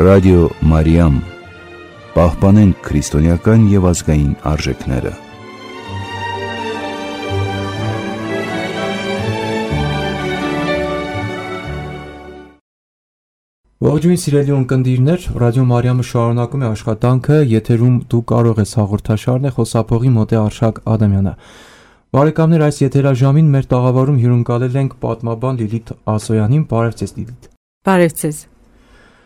Ռադիո Մարիամ, պահպանենք քրիստոնեական և ազգային արժեքները։ Ողջույն սիրելի ունկնդիրներ, Ռադիո Մարիամը շարունակում է աշխատանքը, եթերում դու կարող ես հաղորդաշարն է, խոսափողի մոտ է Արշակ Ադամյանը։ Բարեկամներ, այս եթերաժամին մեր տաղավարում հյուրընկալել ենք պատմաբան Լիլիթ Ասոյանին։ Բարև ձեզ, Լիլիթ։ Բարև ձեզ։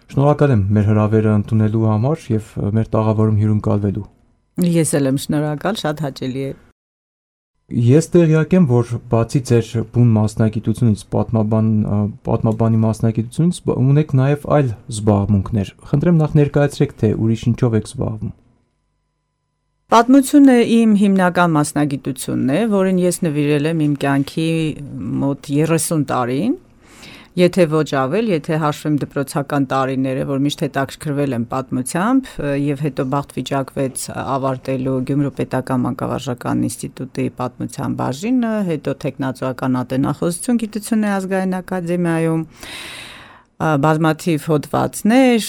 Շնորհակալ եմ մեր հրավերը ընդունելու համար և մեր տաղավարում հյուրընկալվելու։ Ես էլ եմ շնորհակալ, շատ հաճելի է։ Ես տեղյակ եմ, որ բացի ձեր բուն մասնագիտությունից, պատմաբանի մասնագիտությունից, ունեք նաև այլ զբաղմունքներ։ Խնդրեմ նախ ներկայացրեք, թե ուրիշ ինչով եք զբաղվում։ Պատմությունը իմ հիմնական մասնագիտությունն է, որին ես նվիրել եմ իմ կյանքի մոտ 30 տարին, եթե ոչ ավել, եթե հաշվեմ դպրոցական տարիները, որ միշտ հետաքրքրվել եմ պատմությամբ և հետո բախտ վիճակվեց ավարտելու Գյումրու պետական մանկավարժական ինստիտուտի պատմության բաժինը, հետո թեկնածուական ատենախոսություն գիտությունների ազգային ակադեմիայում, բազմաթիվ հոդվածներ,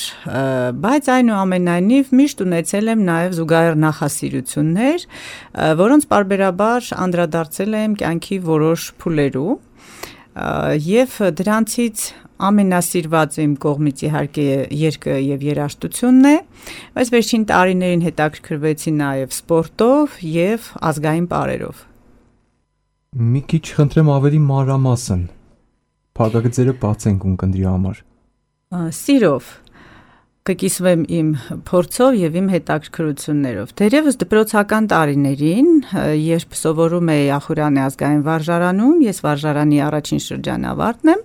բայց այնուամենայնիվ միշտ ունեցել եմ նաև զուգահեռ նախասիրություններ, որոնց պարբերաբար անդրադարձել եմ կյանքի որոշ փուլերու, և դրանցից ամենասիրված իմ կողմից իհարկե երգը և երաժշտությունն է, բայց վերջին տարիներին հետաքրքրվեցի նաև սպորտով և ազգային պարերով։ Մի քիչ խնդրեմ ավելի մանրամասն, փակագծերը բացենք ունկնդրի համար։ Սիրով կկիսվեմ իմ փորձով և իմ հետաքրքրություններով։ Թերևս դպրոցական տարիներին, երբ սովորում էի Ախուրանի ազգային վարժարանում, ես վարժարանի առաջին շրջանավարտն եմ,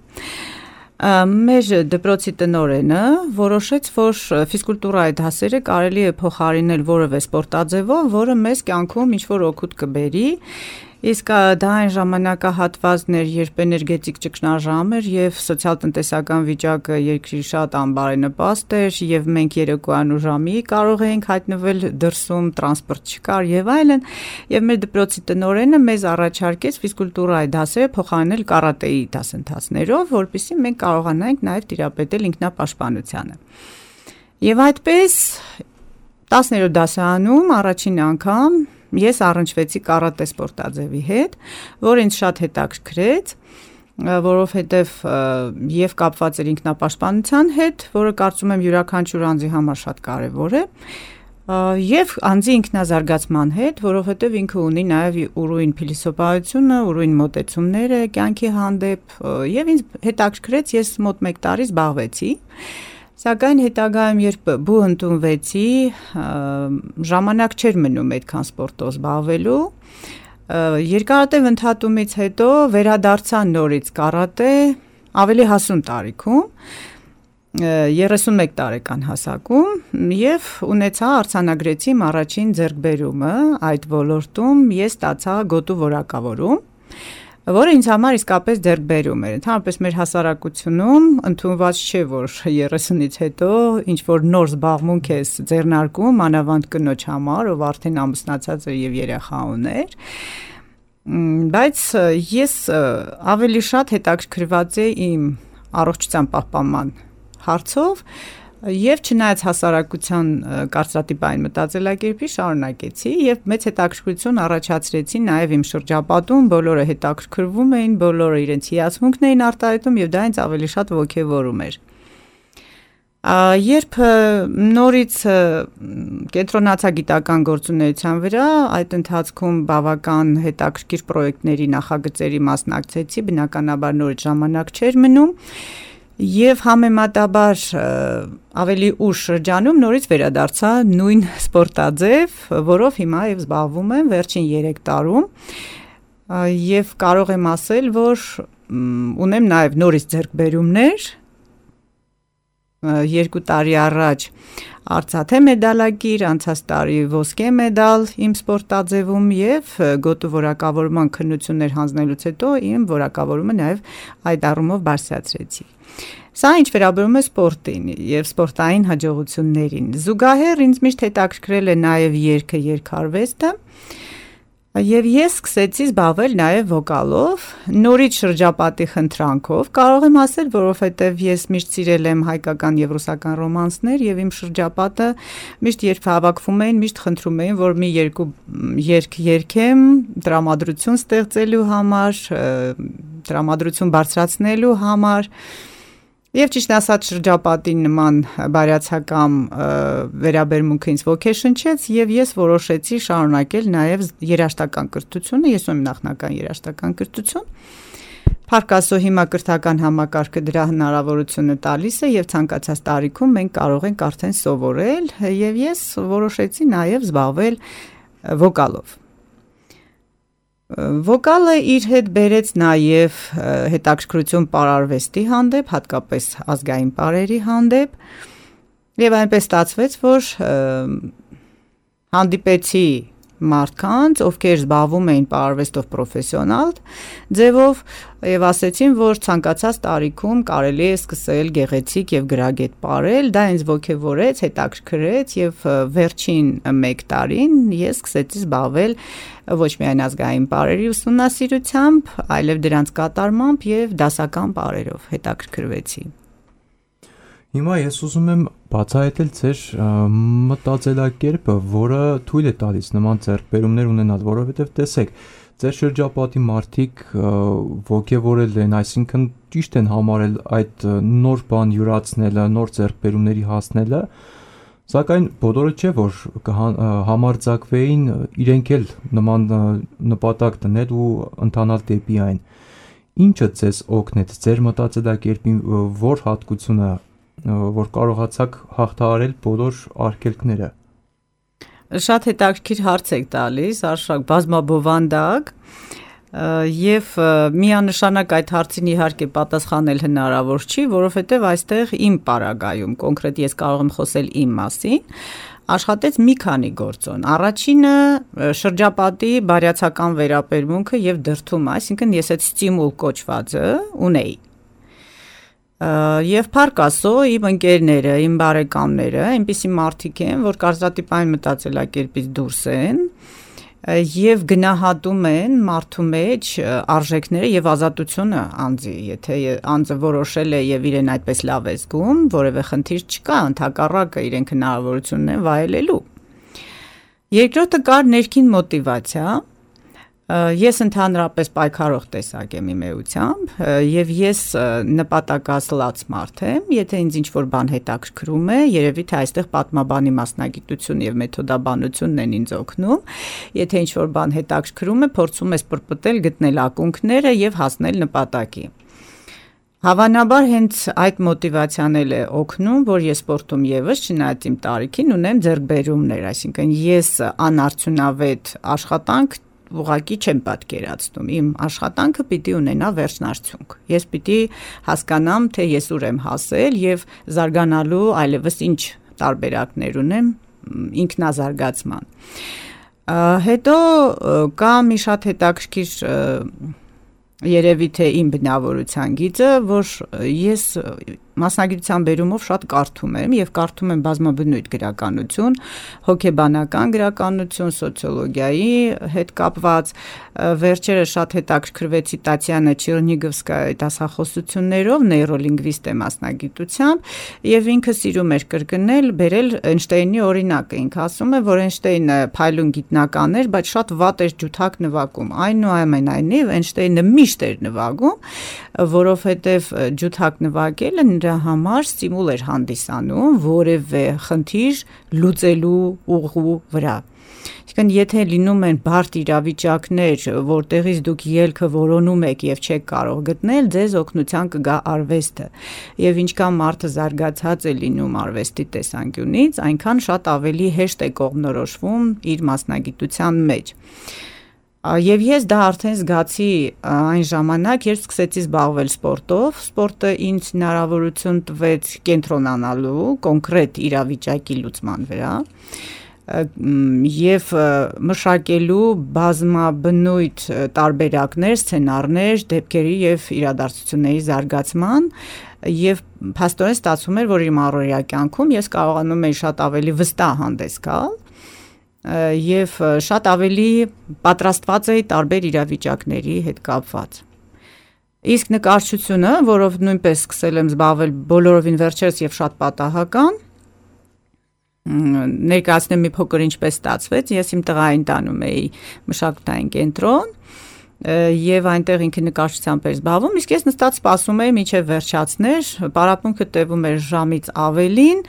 մեր դպրոցի տնօրենը որոշեց, որ ֆիզկուլտուրայի դասերը կարելի է փոխարինել որևէ սպորտաձևով, որը մեզ կյանքում ինչ-որ օգուտ կբերի, իսկ դա այն ժամանակահատվածն էր, երբ էներգետիկ ճգնաժամ էր և սոցիալ-տնտեսական վիճակը երկրի շատ անբարենպաստ էր և մենք երեկոյան ու ժամի կարող էինք հայտնվել դրսում, տրանսպորտ չկար և այլն, և մեր դպրոցի տնօրենը մեզ առաջարկեց ֆիզկուլտուրայի դասերը փոխարինել կարատեի դասընթացներով, որպեսզի մենք կարողանանք նաև տիրապետել ինքնապաշտպանությանը։ Եվ այդպես 10-րդ դասարանում առաջին անգամ ես առնչվեցի կարատե սպորտաձևի հետ, որը ինձ շատ հետաքրքրեց, որովհետև և կապված էր ինքնապաշտպանության հետ, որը կարծում եմ յուրաքանչյուր անձի համար շատ կարևոր է, և անձի ինքնազարգացման հետ, որովհետև ինքը ունի նաև ուրույն փիլիսոփայությունը, ուրույն մոտեցումները կյանքի հանդեպ, և ինձ հետաքրքրեց, ես մոտ 1 տարի զբաղվեցի, սակայն հետագայում երբ բու ընդունվեցի, ժամանակ չէր մնում այդքան սպորտով զբաղվելու, երկարատև ընդհատումից հետո վերադարձա նորից կարատե ավելի հասուն տարիքում, 31 տարեկան հասակում և արձանագրեցի իմ առաջին ձեռքբերումը այդ ոլորտում, ես ստացա գոտու որակավորում, որը ինձ համար իսկապես ձեռքբերում էր։ Ընդհանրապես մեր հասարակությունում ընդունված չէ, որ 30-ից հետո ինչ-որ նոր զբաղմունք ես ձեռնարկում, մանավանդ կնոջ համար, ով արդեն ամուսնացած էր և երեխա ուներ, բայց ես ավելի շատ հետաքրքրված էի իմ առողջության պահպանման հարցով և չնայած հասարակության կարծրատիպային մտածելակերպի շարունակեցի և մեծ հետաքրքրություն առաջացրեցի նաև իմ շրջապատում, բոլորը հետաքրքրվում էին, բոլորը իրենց հիացմունքն էին արտահայտում և դա ինձ ավելի շատ ոգևորում էր։ Երբ նորից կենտրոնացա գիտական գործունեության վրա, այդ ընթացքում բավական հետաքրքիր պրոյեկտների նախագծերի մասնակցեցի, բնականաբար նորից ժամանակ չէր մնում, և համեմատաբար ավելի ուշ շրջանում նորից վերադարձա նույն սպորտաձև, որով հիմա և զբաղվում եմ վերջին 3 տարում և կարող եմ ասել, որ ունեմ նաև նորից ձեռքբերումներ, 2 տարի առաջ արծաթե մեդալակիր, անցած տարի ոսկե մեդալ իմ սպորտաձևում և գոտու որակավորման քննություններ հանձնելուց հետո իմ որակավորումը նաև այդ առումով բարձրացրեցի։ Սա ինչ վերաբերում է սպորտին և սպորտային հաջողություններին։ Զուգահեռ ինձ միշտ հետաքրքրել է նաև երգը, երգարվեստը, Եվ ես սկսեցի զբաղվել նաև վոկալով, նորից շրջապատի խնդրանքով, կարող եմ ասել, որովհետև ես միշտ սիրել եմ հայկական եւ ռուսական ռոմանսներ եւ իմ շրջապատը միշտ երբ հավաքվում էին, միշտ խնդրում էին, որ մի երկու երգ երգեմ տրամադրություն ստեղծելու համար, տրամադրություն բարձրացնելու համար։ Եվ ճիշտ ասած շրջապատի նման բարյացակամ վերաբերմունքը ինձ ոգեշնչեց եւ ես որոշեցի շարունակել նաեւ երաժշտական կրթությունը, ես ունեմ նախնական երաժշտական կրթություն։ Փառք Աստծո հիմա կրթական համակարգը դրա հնարավորությունը տալիս է եւ ցանկացած տարիքում մենք կարող ենք արդեն սովորել եւ ես որոշեցի նաեւ զբաղվել վոկալով։ Վոկալը իր հետ բերեց նաև հետաքրքրություն պարարվեստի հանդեպ, հատկապես ազգային պարերի հանդեպ, եւ այնպես ստացվեց, որ հանդիպեցի մարդկանց, ովքեր զբաղվում էին պարարվեստով պրոֆեսիոնալ ձևով եւ ասեցին, որ ցանկացած տարիքում կարելի է սկսել գեղեցիկ եւ գրագետ պարել, դա ինձ ոգևորեց, հետաքրքրեց եւ վերջին 1 տարին ես սկսեցի զբաղվել ոչ միայն ազգային պարերի ուսումնասիրությամբ, այլև դրանց կատարմամբ եւ դասական պարերով հետաքրքրվեցի։ Հիմա ես ուզում եմ բացահայտել ձեր մտածելակերպը, որը թույլ է տալիս նման ձեռքբերումներ ունենալ, որովհետև տեսեք, ձեր շրջապատի մարդիկ ոգևորել են, այսինքն ճիշտ են համարել այդ նոր բան յուրացնելը, նոր ձեռքբերումների հասնելը, սակայն բոլորը չէ, որ համարձակվեին իրենք էլ նման նպատակ դնել ու ընթանալ դեպի այն։ Ինչը ձեզ օգնեց ձեր մտածելակերպի որ հատկությունը, որ կարողացաք հաղթահարել բոլոր արգելքները։ Շատ հետաքրքիր հարց եք տալիս, Արշակ, բազմաբովանդակ, եւ միանշանակ այդ հարցին իհարկե պատասխանել հնարավոր չի, որովհետեւ այստեղ իմ պարագայում, կոնկրետ ես կարող եմ խոսել իմ մասին, աշխատեց մի քանի գործոն։ Առաջինը շրջապատի բարյացակամ վերաբերմունքը եւ դրդումը, այսինքն ես այդ ստիմուլ կոչվածը ունեի։ Եվ փառք Աստծո, իմ ընկերները, իմ բարեկամները, այնպիսի մարդիկ են, որ կարծրատիպային մտածելակերպից դուրս են եւ գնահատում են մարդու մեջ արժեքները եւ ազատությունը անձի, եթե անձը որոշել է եւ իրեն այդպես լավ է զգում, որևէ խնդիր չկա, ընդհակառակը իրենք հնարավորություն ունեն վայելելու։ Երկրորդը կար ներքին մոտիվացիա։ Ես ընդհանրապես պայքարող տեսակ եմ իմ էությամբ եւ ես նպատակասլաց մարդ եմ, եթե ինձ ինչ-որ բան հետաքրքրում է, երևի թե այստեղ պատմաբանի մասնագիտություն եւ մեթոդաբանությունն են ինձ օգնում, եթե ինչ-որ բան հետաքրքրում է, փորձում ես պրպտել, գտնել ակունքները եւ հասնել նպատակի։ Հավանաբար հենց այդ մոտիվացիան էլ է օգնում, որ ես սպորտում եւս չնայած իմ տարիքին ունեմ ձեռքբերումներ, այսինքն ես անարդյունավետ աշխատանք ուղղակի չեմ պատկերացնում, իմ աշխատանքը պիտի ունենա վերջնարդյունք, ես պիտի հասկանամ, թե ես ուր եմ հասել եւ զարգանալու այլևս ինչ տարբերակներ ունեմ ինքնազարգացման։ Հետո կա մի շատ հետաքրքիր երևի թե իմ բնավորության գիծը, որ ես մասնագիտության բերումով շատ կարդում եմ եւ կարդում եմ բազմաբնույթ գրականություն, հոգեբանական գրականություն, սոցիոլոգիայի հետ կապված, վերջերս շատ հետաքրքրվեցի Տատյանա Չերնիգովսկայի դասախոսություններով, նեյրոլինգվիստ է մասնագիտությամբ եւ ինքը սիրում էր կրկնել, բերել Էյնշտեյնի օրինակը, ինքը ասում է, որ Էյնշտեյնը փայլուն գիտնական էր, բայց շատ վատ էր ջութակ նվագում, այնուամենայնիվ Էյնշտեյնը միշտ էր նվագում, որովհետեւ ջութակ նվագելը նրա համար ստիմուլ էր հանդիսանում որևէ խնդիր լուծելու ուղու վրա։ Այսինքն եթե լինում են բարդ իրավիճակներ, որտեղից դուք ելքը որոնում եք եւ չեք կարող գտնել, ձեզ օգնության կգա արվեստը։ Եվ ինչքան մարդը զարգացած է լինում արվեստի տեսանկյունից, այնքան շատ ավելի հեշտ է կողմնորոշվում իր մասնագիտության մեջ։ Եվ ես դա արդեն զգացի այն ժամանակ, երբ սկսեցի զբաղվել սպորտով, սպորտը ինձ հնարավորություն տվեց կենտրոնանալու կոնկրետ իրավիճակի լուծման վրա եւ մշակելու բազմաբնույթ տարբերակներ, սցենարներ, դեպքերի եւ իրադարձությունների զարգացման եւ փաստորեն ստացվում էր, որ իմ առօրյա կյանքում ես կարողանում եի շատ ավելի վստահ հանդես գալ եւ շատ ավելի պատրաստված էի տարբեր իրավիճակների հետ կապված։ Իսկ նկարչությունը, որով նույնպես սկսել եմ զբաղվել բոլորովին վերջերս եւ շատ պատահական, ներկայացնեմ մի փոքր ինչպես ստացվեց, ես իմ տղային տանում էի մշակութային կենտրոն եւ այնտեղ ինքը նկարչությամբ էր զբաղվում, իսկ ես նստած սպասում էի մինչեւ վերջացներ, պարապմունքը տևում էր ժամից ավելին,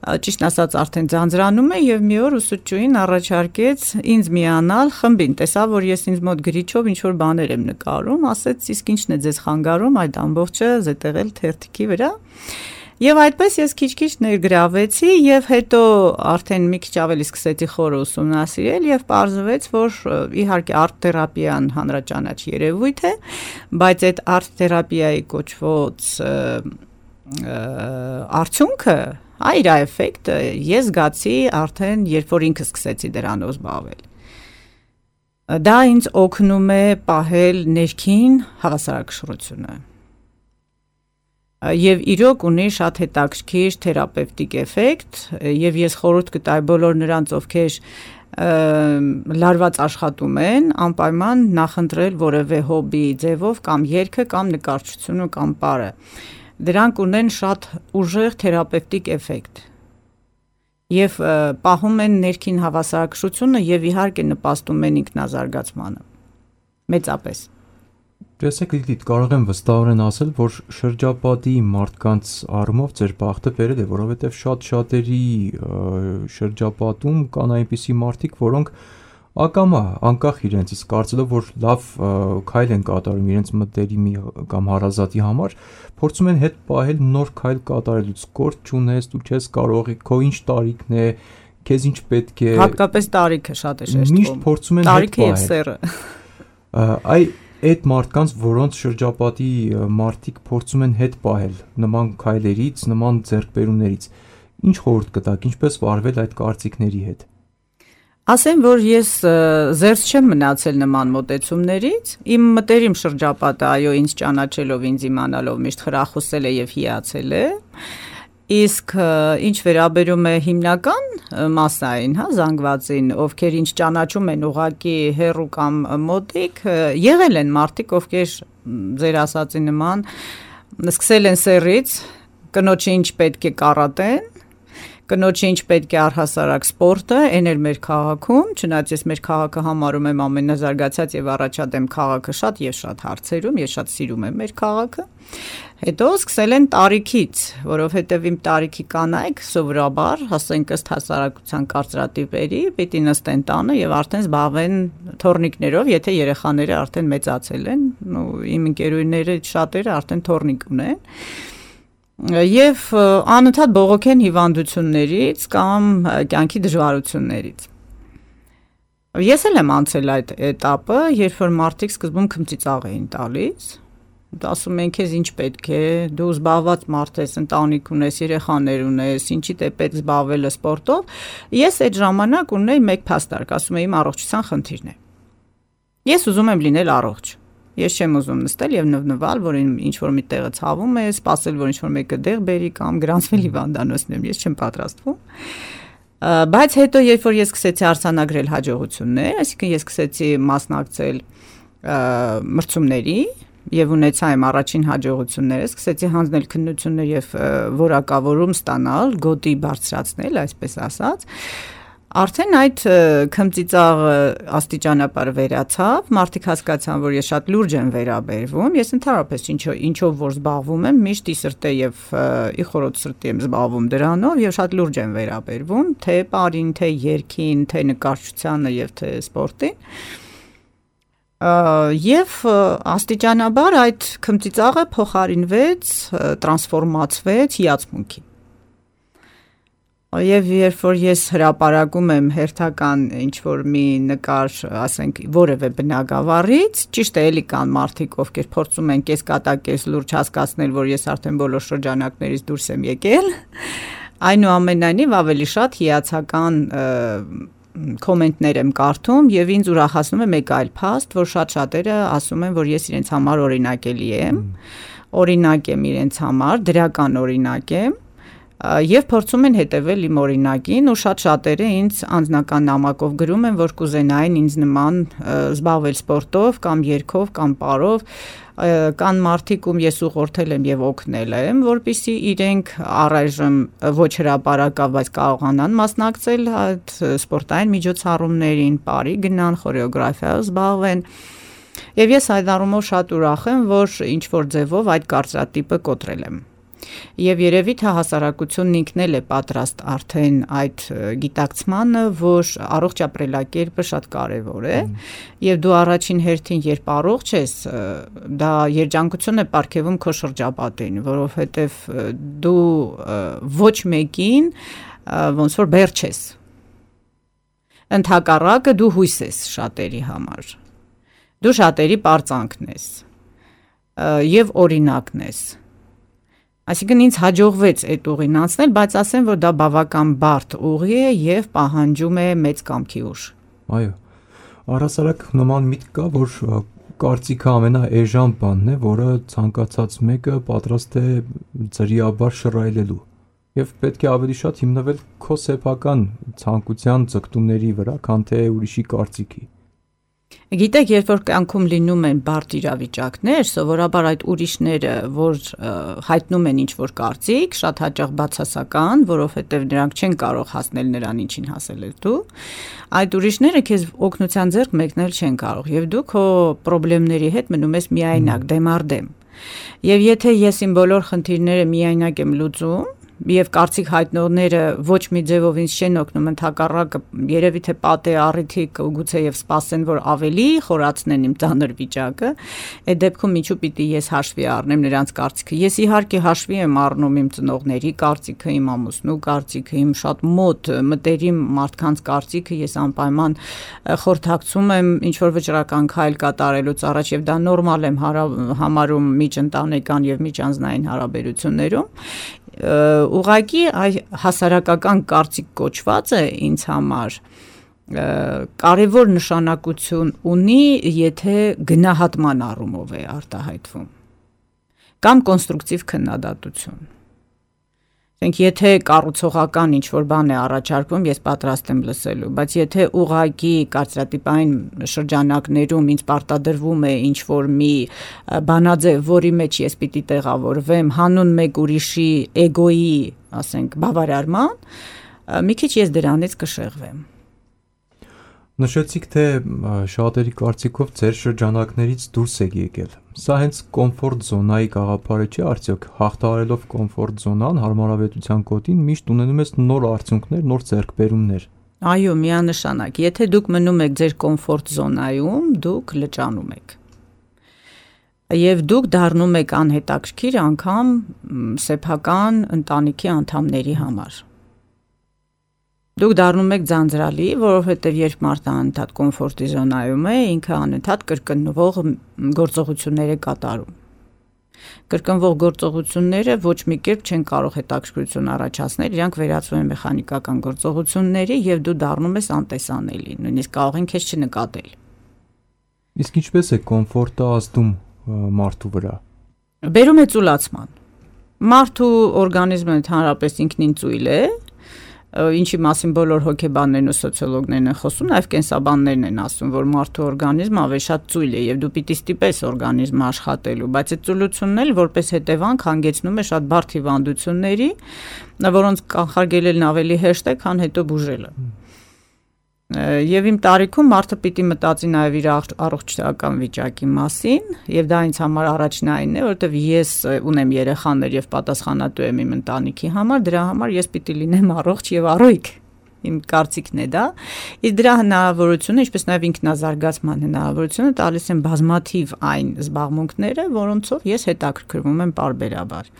ճիշտ ասած արդեն ձանձրանում է եւ մի օր ուսուցչուհին առաջարկեց ինձ միանալ խմբին, տեսա որ ես ինձ մոտ գրիչով ինչ որ բաներ եմ նկարում, ասեց իսկ ինչն է ձեզ խանգարում այդ ամբողջը զետեղել թերթիկի վրա։ Եվ այդպես ես քիչ-քիչ ներգրավեցի եւ հետո արդեն մի քիչ ավելի սկսեցի խորը ուսումնասիրել եւ պարզվեց, որ իհարկե արտ թերապիան հանրաճանաչ երևույթ է, բայց այդ արտ թերապիայի կոչված արդյունքը, իր էֆեկտը ես զգացի արդեն երբ որ ինքը սկսեցի դրանով զբաղվել։ Դա ինձ օգնում է պահել ներքին հավասարակշռությունը։ Եվ իրոք ունի շատ հետաքրքիր թերապևտիկ էֆեկտ եւ ես խորհուրդ կտայի բոլոր նրանց, ովքեր լարված աշխատում են, անպայման նախընտրել որևէ հոբի ձևով կամ երգը կամ նկարչությունը կամ պարը։ Դրանք ունեն շատ ուժեղ թերապևտիկ էֆեկտ եւ պահում են ներքին հավասարակշռությունը եւ իհարկե նպաստում են ինքնազարգացմանը մեծապես։ Տեսեք, Լիլիթ, կարող եմ վստահորեն ասել, որ շրջապատի մարդկանց առումով ձեր բախտը բերել է, որովհետև շատ-շատերի շրջապատում կան այնպիսի մարդիկ, որոնք ակամա, անկախ իրենցից, կարծելով, որ լավ քայլ են կատարում իրենց մտերիմի կամ հարազատի համար, փորձում են հետ պահել նոր քայլ կատարելուց, կորտ չունես, դու չես կարող, քո ինչ տարիքն է, քեզ ինչ պետք է։ Հատկապես տարիքը շատ է շեշտվում։ Միշտ փորձում են հետ պահել։ Տարիքը եւ սեռը։ Այդ մարդկանց, որոնց շրջապատի մարդիկ փորձում են հետ պահել նման քայլերից, նման ձեռքբերումներից, ինչ խորհուրդ կտաք, ինչպես վարվել այդ կարծիքների հետ։ Ասեմ, որ ես զերծ չեմ մնացել նման մոտեցումներից, իմ մտերիմ շրջապատը, այո, ինձ ճանաչելով, ինձ իմանալով միշտ խրախուսել է եւ հիացել է։ Իսկ ինչ վերաբերում է հիմնական մասային, զանգվածին, ովքեր ինչ ճանաչում են ուղակի հեռու կամ մոտիկ, եղել են մարդիկ, ովքեր ձեր ասածի նման սկսել են սեռից, կնոջը ինչ պետք է կարատեն, կնոջը ինչ պետք է առհասարակ սպորտը, այն էր մեր քաղաքում, չնայած ես մեր քաղաքը համարում եմ ամենազարգացած եւ առաջադեմ քաղաքը շատ եւ շատ հարցերում, ես շատ սիրում եմ մեր քաղաքը։ Հետո սկսել են տարիքից, որովհետև իմ տարիքի կանայք սովորաբար, ասենք ըստ հասարակության կարծրատիպերի, պիտի նստեն տանը եւ արդեն զբաղվեն թոռնիկներով, եթե երեխաները արդեն մեծացել են, իմ ընկերուհիները շատերը արդեն թոռնիկ ունեն։ Եվ անընդհատ բողոքեն հիվանդություններից կամ կյանքի դժվարություններից։ Ես էլ եմ անցել այդ этаպը, երբ որ մարդիկ սկզբում քմծիծաղ էին տալիս, ասում են քեզ ինչ պետք է, դու զբաղված մարդ ես, ընտանիք ունես, երեխաներ ունես, ինչի թե պետք զբաղվելը սպորտով։ Ես այդ ժամանակ ունեի մեկ փաստարկ, ասում եմ իմ առողջության խնդիրն է։ Ես ուզում եմ լինել առողջ։ Ես չեմ ուզում նստել եւ նվնվալ, որ ինչ որ մի տեղը ցավում է, սպասել, որ ինչ որ մեկը դեղ բերի կամ գրանցվել հիվանդանոցներում, ես չեմ պատրաստվում։ Բայց հետո երբ որ ես սկսեցի արձանագրել հաջողություններ, այսինքն ես սկսեցի մասնակցել մրցումների եւ ունեցա իմ առաջին հաջողությունները, սկսեցի հանձնել քննություններ եւ որակավորում ստանալ, գոտի բարձրացնել, այսպես ասած, արդեն այդ քմծիծաղը աստիճանաբար վերացավ, մարդիկ հասկացան, որ ես շատ լուրջ եմ վերաբերվում, ես ընդհանրապես ինչով որ զբաղվում եմ, միշտ ի սրտե եւ ի խորոց սրտի եմ զբաղվում դրանով եւ շատ լուրջ եմ վերաբերվում, թե պարին, թե երգին, թե նկարչությանը եւ թե սպորտին։ Եվ աստիճանաբար այդ քմծիծաղը փոխարինվեց, տրանսֆորմացվեց հիացմունքի։ Եվ երբ որ ես հրապարակում եմ հերթական ինչ-որ մի նկար, ասենք, որևէ բնագավառից, ճիշտ է էլի կան մարդիկ, ովքեր փորձում են կես լուրջ հասկացնել, որ ես արդեն բոլոր շրջանակներից դուրս եմ եկել, այնուամենայնիվ ավելի շատ հիացական կոմենտներ եմ կարդում եւ ինձ ուրախացնում է մեկ այլ փաստ, որ շատ-շատերը ասում են, որ ես իրենց համար օրինակելի եմ, օրինակ եմ իրենց համար, դրական օրինակ եմ, Եվ փորձում են հետևել իմ օրինակին ու շատերը ինձ անձնական նամակով գրում են, որ կուզենային ինձ նման զբաղվել սպորտով կամ երգով կամ պարով, կան մարդիկ, ում ես ուղղորդել եմ եւ օգնել եմ, որպեսզի իրենք առայժմ ոչ հրապարակավ, բայց կարողանան մասնակցել այդ սպորտային միջոցառումներին, պարի գնան, խորեոգրաֆիայով զբաղվեն։ Եվ ես այդ առումով շատ ուրախ եմ, որ ինչ որ ձևով այդ կարծրատիպը կոտրել եմ։ Եվ երևի թե հասարակությունն ինքն էլ է պատրաստ արդեն այդ գիտակցմանը, որ առողջ ապրելակերպը շատ կարևոր է, եւ դու առաջին հերթին երբ առողջ ես, դա երջանկություն է պարգևում քո շրջապատին, որովհետեւ դու ոչ մեկին ոնց որ բեր չես։ Ընդհակառակը դու հույս ես շատերի համար։ Դու շատերի պարծանքն ես եւ օրինակն ես։ Այսինքն ինձ հաջողվեց այդ ուղին անցնել, բայց ասեմ, որ դա բավական բարդ ուղի է եւ պահանջում է մեծ կամքի ուժ։ Այո։ Առհասարակ նման միտք կա, որ կարծիքը ամենաէժան բանն է, որը ցանկացած մեկը պատրաստ է ծրիաբար շռայլելու։ Եվ պետք է ավելի շատ հիմնվել քո սեփական ցանկության ձգտումների վրա, քան թե ուրիշի կարծիքի։ Գիտեք, երբ որ կյանքում լինում են բարդ իրավիճակներ, սովորաբար այդ ուրիշները, որ հայտնում են ինչ-որ կարծիք, շատ հաճախ բացասական, որովհետև նրանք չեն կարող հասնել նրան, ինչին հասել ես դու, այդ ուրիշները քեզ օգնության ձեռք մեկնել չեն կարող, եւ դու քո խնդիրների հետ մնում ես միայնակ, դեմ առ դեմ։ Եվ եթե ես իմ բոլոր խնդիրները միայնակ եմ լուծում, եւ կարծիք հայտնողները ոչ մի ձևով ինձ չեն օգնում, ընդհակառակը երևի թե պատե առիթի գուցե եւ սպասեն, որ ավելի խորացնեն իմ ծանր վիճակը, այդ դեպքում ինչու պիտի ես հաշվի առնեմ նրանց կարծիքը։ Ես իհարկե հաշվի եմ առնում իմ ծնողների կարծիքը, իմ ամուսնու կարծիքը, իմ շատ մոտ մտերիմ մարդկանց կարծիքը, ես անպայման խորհրդակցում եմ ինչ որ վճռական քայլ կատարելուց առաջ եւ դա նորմալ եմ համարում միջընտանեկան եւ միջանձնային հարաբերություններում։ Ուղղակի հասարակական կարծիք կոչվածը ինձ համար կարևոր նշանակություն ունի, եթե գնահատման առումով է արտահայտվում կամ կոնստրուկտիվ քննադատություն։ Եթե կառուցողական ինչ-որ բան է առաջարկվում, ես պատրաստ եմ լսելու, բայց եթե ուղղակի կարծրատիպային շրջանակներում ինձ պարտադրվում է ինչ-որ մի բանաձև, որի մեջ ես պիտի տեղավորվեմ հանուն մեկ ուրիշի էգոյի, ասենք, բավարարման, մի քիչ ես դրանից կշեղվեմ։ Նշեցիք, թե շատերի կարծիքով ձեր շրջանակներից դուրս եք եկել։ Սա հենց կոմֆորտ զոնայի գաղափարը չէ, արդյոք հաղթահարելով կոմֆորտ զոնան, հարմարավետության կոտին միշտ ունենում ես նոր արդյունքներ, նոր ձեռքբերումներ։ Այո, միանշանակ։ Եթե դուք մնում եք ձեր կոմֆորտ զոնայում, դուք լճանում եք։ Եվ դուք դառնում եք անհետաքրքիր անգամ սեփական ընտանիքի անդամների համար։ Դուք դառնում եք ձանձրալի, որովհետև երբ մարդը անընդհատ կոմֆորտի զոնայում է, ինքը անընդհատ կրկնվող գործողություններ է կատարում։ Կրկնվող գործողությունները ոչ մի կերպ չեն կարող հետաքրքրություն առաջացնել, իրանք վերածվում են մեխանիկական գործողությունների եւ դու դառնում ես անտեսանելի, նույնիսկ կարող են քեզ չնկատել։ Իսկ ինչպես է կոմֆորտը ազդում մարդու վրա։ Բերում է ծուլացման։ Մարդու օրգանիզմը ընդհանրապես ինքնին ծույլ է, ինչի մասին բոլոր հոգեբաններն ու սոցիոլոգներն են խոսում, նաև կենսաբաններն են ասում, որ մարդու օրգանիզմը ավելի շատ ծույլ է եւ դու պիտի ստիպես օրգանիզմը աշխատելու, բայց այդ ծուլությունն էլ որպես հետևանք հանգեցնում է շատ բարդ հիվանդությունների, որոնց կանխարգելելն ավելի հեշտ է, քան հետո բուժելը։ Եվ իմ տարիքում մարդը պիտի մտածի նաև իր առողջական վիճակի մասին, եւ դա ինձ համար առաջնայինն է, որովհետեւ ես ունեմ երեխաներ եւ պատասխանատու եմ իմ ընտանիքի համար, դրա համար ես պիտի լինեմ առողջ եւ առույգ։ Իմ կարծիքն է դա, իսկ դրա հնարավորությունը, ինչպես նաև ինքնազարգացման հնարավորությունը տալիս են բազմաթիվ այն զբաղմունքները, որոնցով ես հետաքրքրվում եմ պարբերաբար։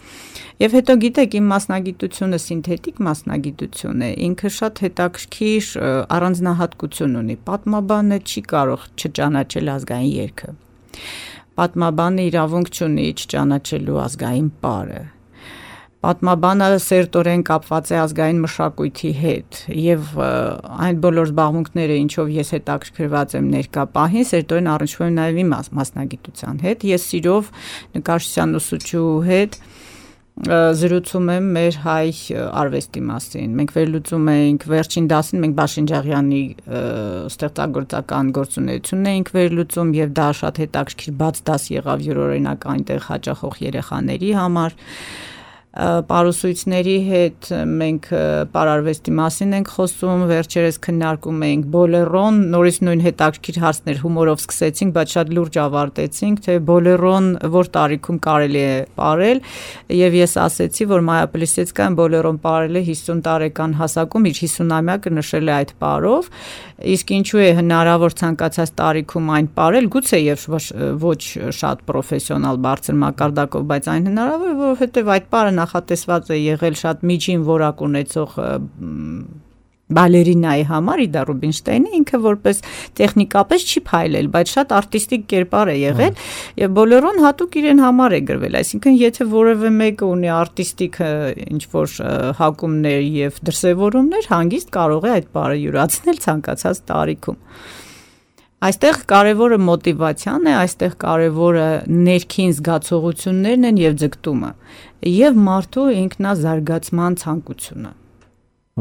Եվ հետո գիտեք, իմ մասնագիտությունը սինթետիկ մասնագիտություն է, ինքը շատ հետաքրքիր առանձնահատկություն ունի։ Պատմաբանը չի կարող չճանաչել ազգային երգը։ Պատմաբանը իրավունք չունի չճանաչելու ազգային պարը։ Պատմաբանը սերտորեն կապված է ազգային մշակույթի հետ եւ այն բոլոր զբաղմունքները, ինչով ես հետաքրքրված եմ ներկա պահին, սերտորեն առնչվում են նաեւ իմ մասնագիտության հետ։ Ես սիրով նկարչության ուսուցչու հետ զրուցում եմ մեր հայ արվեստի մասին։ Մենք վերլուծում էինք վերջին դասին, մենք Բաշինջաղյանի ստեղծագործական գործունեությունն էինք վերլուծում եւ դա շատ հետաքրքիր բաց դաս եղավ յուրօրինակ այնտեղ հաճախող երեխաների համար։ Պարուսույցների հետ մենք պարարվեստի մասին ենք խոսում, վերջերս քննարկում էինք բոլերոն, նորից նույն հետաքրքիր հարցներ հումորով սկսեցինք, բայց շատ լուրջ ավարտեցինք, թե բոլերոն որ տարիքում կարելի է պարել, եւ ես ասեցի, որ Մայա Պլիսեցկայան բոլերոն պարել է 50 տարեկան հասակում, իր 50-ամյակը նշել է այդ պարով, իսկ ինչու է հնարավոր ցանկացած տարիքում այն պարել, գուցե եւ ոչ շատ պրոֆեսիոնալ բարձր մակարդակով, բայց այն հնարավոր է, որովհետեւ այդ պարը նախատեսված է եղել շատ միջին որակ ունեցող բալերինայի համար, Իդա Ռուբինշտեյնը ինքը որպես տեխնիկապես չի փայլել, բայց շատ արտիստիկ կերպար է եղել եւ բոլորոն հատուկ իրեն համար է գրվել, այսինքն եթե որևէ մեկը ունի արտիստիկ ինչ-որ հակումներ եւ դրսեւորումներ, հանգիստ կարող է այդ բառը յուրացնել ցանկացած տարիքում։ Այստեղ կարևորը մոտիվացիան է, այստեղ կարևորը ներքին զգացողություններն են եւ ձգտումը եւ մարդու ինքնազարգացման ցանկությունը։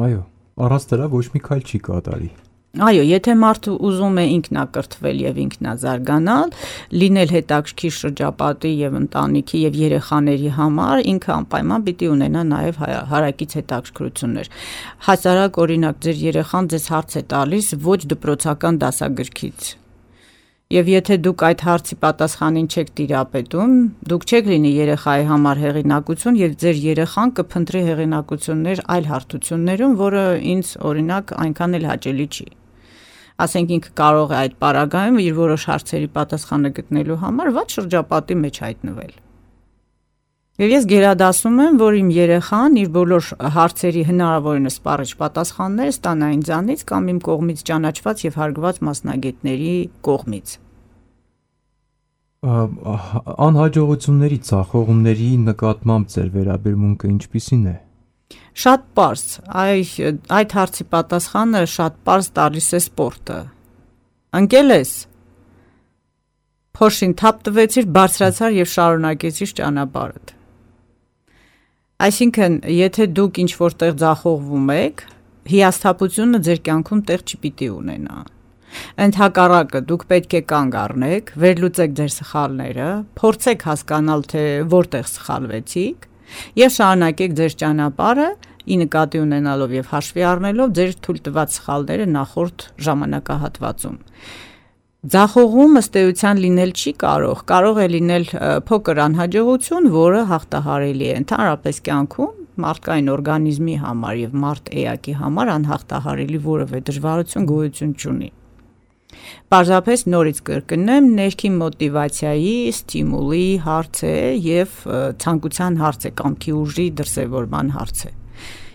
Այո, առանց դրա ոչ մի քայլ չի կատարի։ Այո, եթե մարդը ուզում է ինքնակրթվել եւ ինքնազարգանալ, լինել հետաքրքիր շրջապատի եւ ընտանիքի եւ երեխաների համար, ինքը անպայման պիտի ունենա նաեւ հարակից հետաքրքրություններ։ Հասարակ օրինակ ձեր երեխան ձեզ հարց է տալիս ոչ դպրոցական դասագրքից։ Եվ եթե դուք այդ հարցի պատասխանին չեք տիրապետում, դուք չեք լինի երեխայի համար հեղինակություն եւ ձեր երեխան կփնտրի հեղինակություններ այլ հարթություններում, որը ինձ օրինակ այնքան էլ հաճելի չի։ Ասենք ինքը կարող է այդ պարագայում իր որոշ հարցերի պատասխանը գտնելու համար վատ շրջապատի մեջ հայտնվել։ Եվ ես գերադասում եմ, որ իմ երեխան իր բոլոր հարցերի հնարավորինս սպառիչ պատասխանները ստանա ինձանից կամ իմ կողմից ճանաչված եւ հարգված մասնագետների կողմից։ Անհաջողությունների, ցախողումների նկատմամբ ձեր վերաբերմունքը ինչպիսին է։ Շատ պարզ, այդ հարցի պատասխանը շատ պարզ տալիս է սպորտը։ Ընկել ես։ Փոշին թափ տվեցիր, բարձրացար եւ շարունակեցիր ճանապարհդ։ Այսինքն, եթե դուք ինչ որտեղ ձախողվում եք, հիասթափությունը ձեր կյանքում տեղ չպիտի ունենա։ Ընդհակառակը դուք պետք է կանգ առնեք, վերլուծեք ձեր սխալները, փորձեք հասկանալ, թե որտեղ սխալվեցիք եւ շարունակեք ձեր ճանապարհը, ի նկատի ունենալով եւ հաշվի առնելով ձեր թույլ տված սխալները նախորդ ժամանակահատվածում։ Ձախողում ըստ էության լինել չի կարող է լինել փոքր անհաջողություն, որը հաղթահարելի է ընդհանրապես կյանքում մարդկային օրգանիզմի համար եւ մարդ էակի համար անհաղթահարելի որևէ դժվարություն գոյություն չունի։ Պարզապես նորից կրկնեմ, ներքին մոտիվացիայի, ստիմուլի հարց է եւ ցանկության հարց է, կամքի ուժի դրսեւորման հարց է։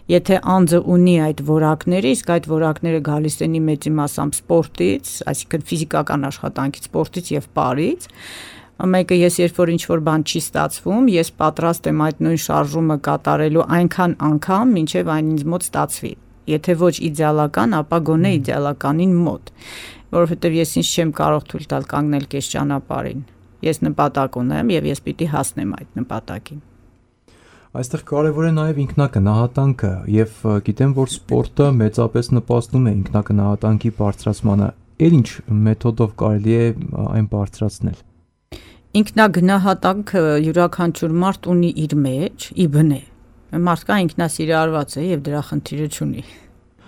Եթե անձը ունի այդ որակները, իսկ այդ որակները գալիս են մեծի մասամբ սպորտից, այսինքն ֆիզիկական աշխատանքից, սպորտից եւ պարից, մեկը ես երբ որ ինչ-որ բան չի ստացվում, ես պատրաստ եմ այդ նույն շարժումը կատարելու այնքան անգամ, մինչև այն ինձ մոտ ստացվի։ Եթե ոչ իդեալական, ապա գոնե իդեալականին մոտ, որովհետեւ ես ինձ չեմ կարող թույլ տալ կանգնել կես ճանապարհին։ Ես նպատակ ունեմ եւ ես պիտի հասնեմ այդ նպատակին։ Այստեղ կարևոր է նաև ինքնակնահատանքը եւ գիտեմ, որ սպորտը մեծապես նպաստում է ինքնակնահատանքի բարձրացմանը։ Ինչ մեթոդով կարելի է այն բարձրացնել։ Ինքնագնահատանքը յուրաքանչյուր մարդ ունի իր մեջ, ի բնե։ Մարդկա ինքնասիրարված է եւ դրա խնդիրը չունի։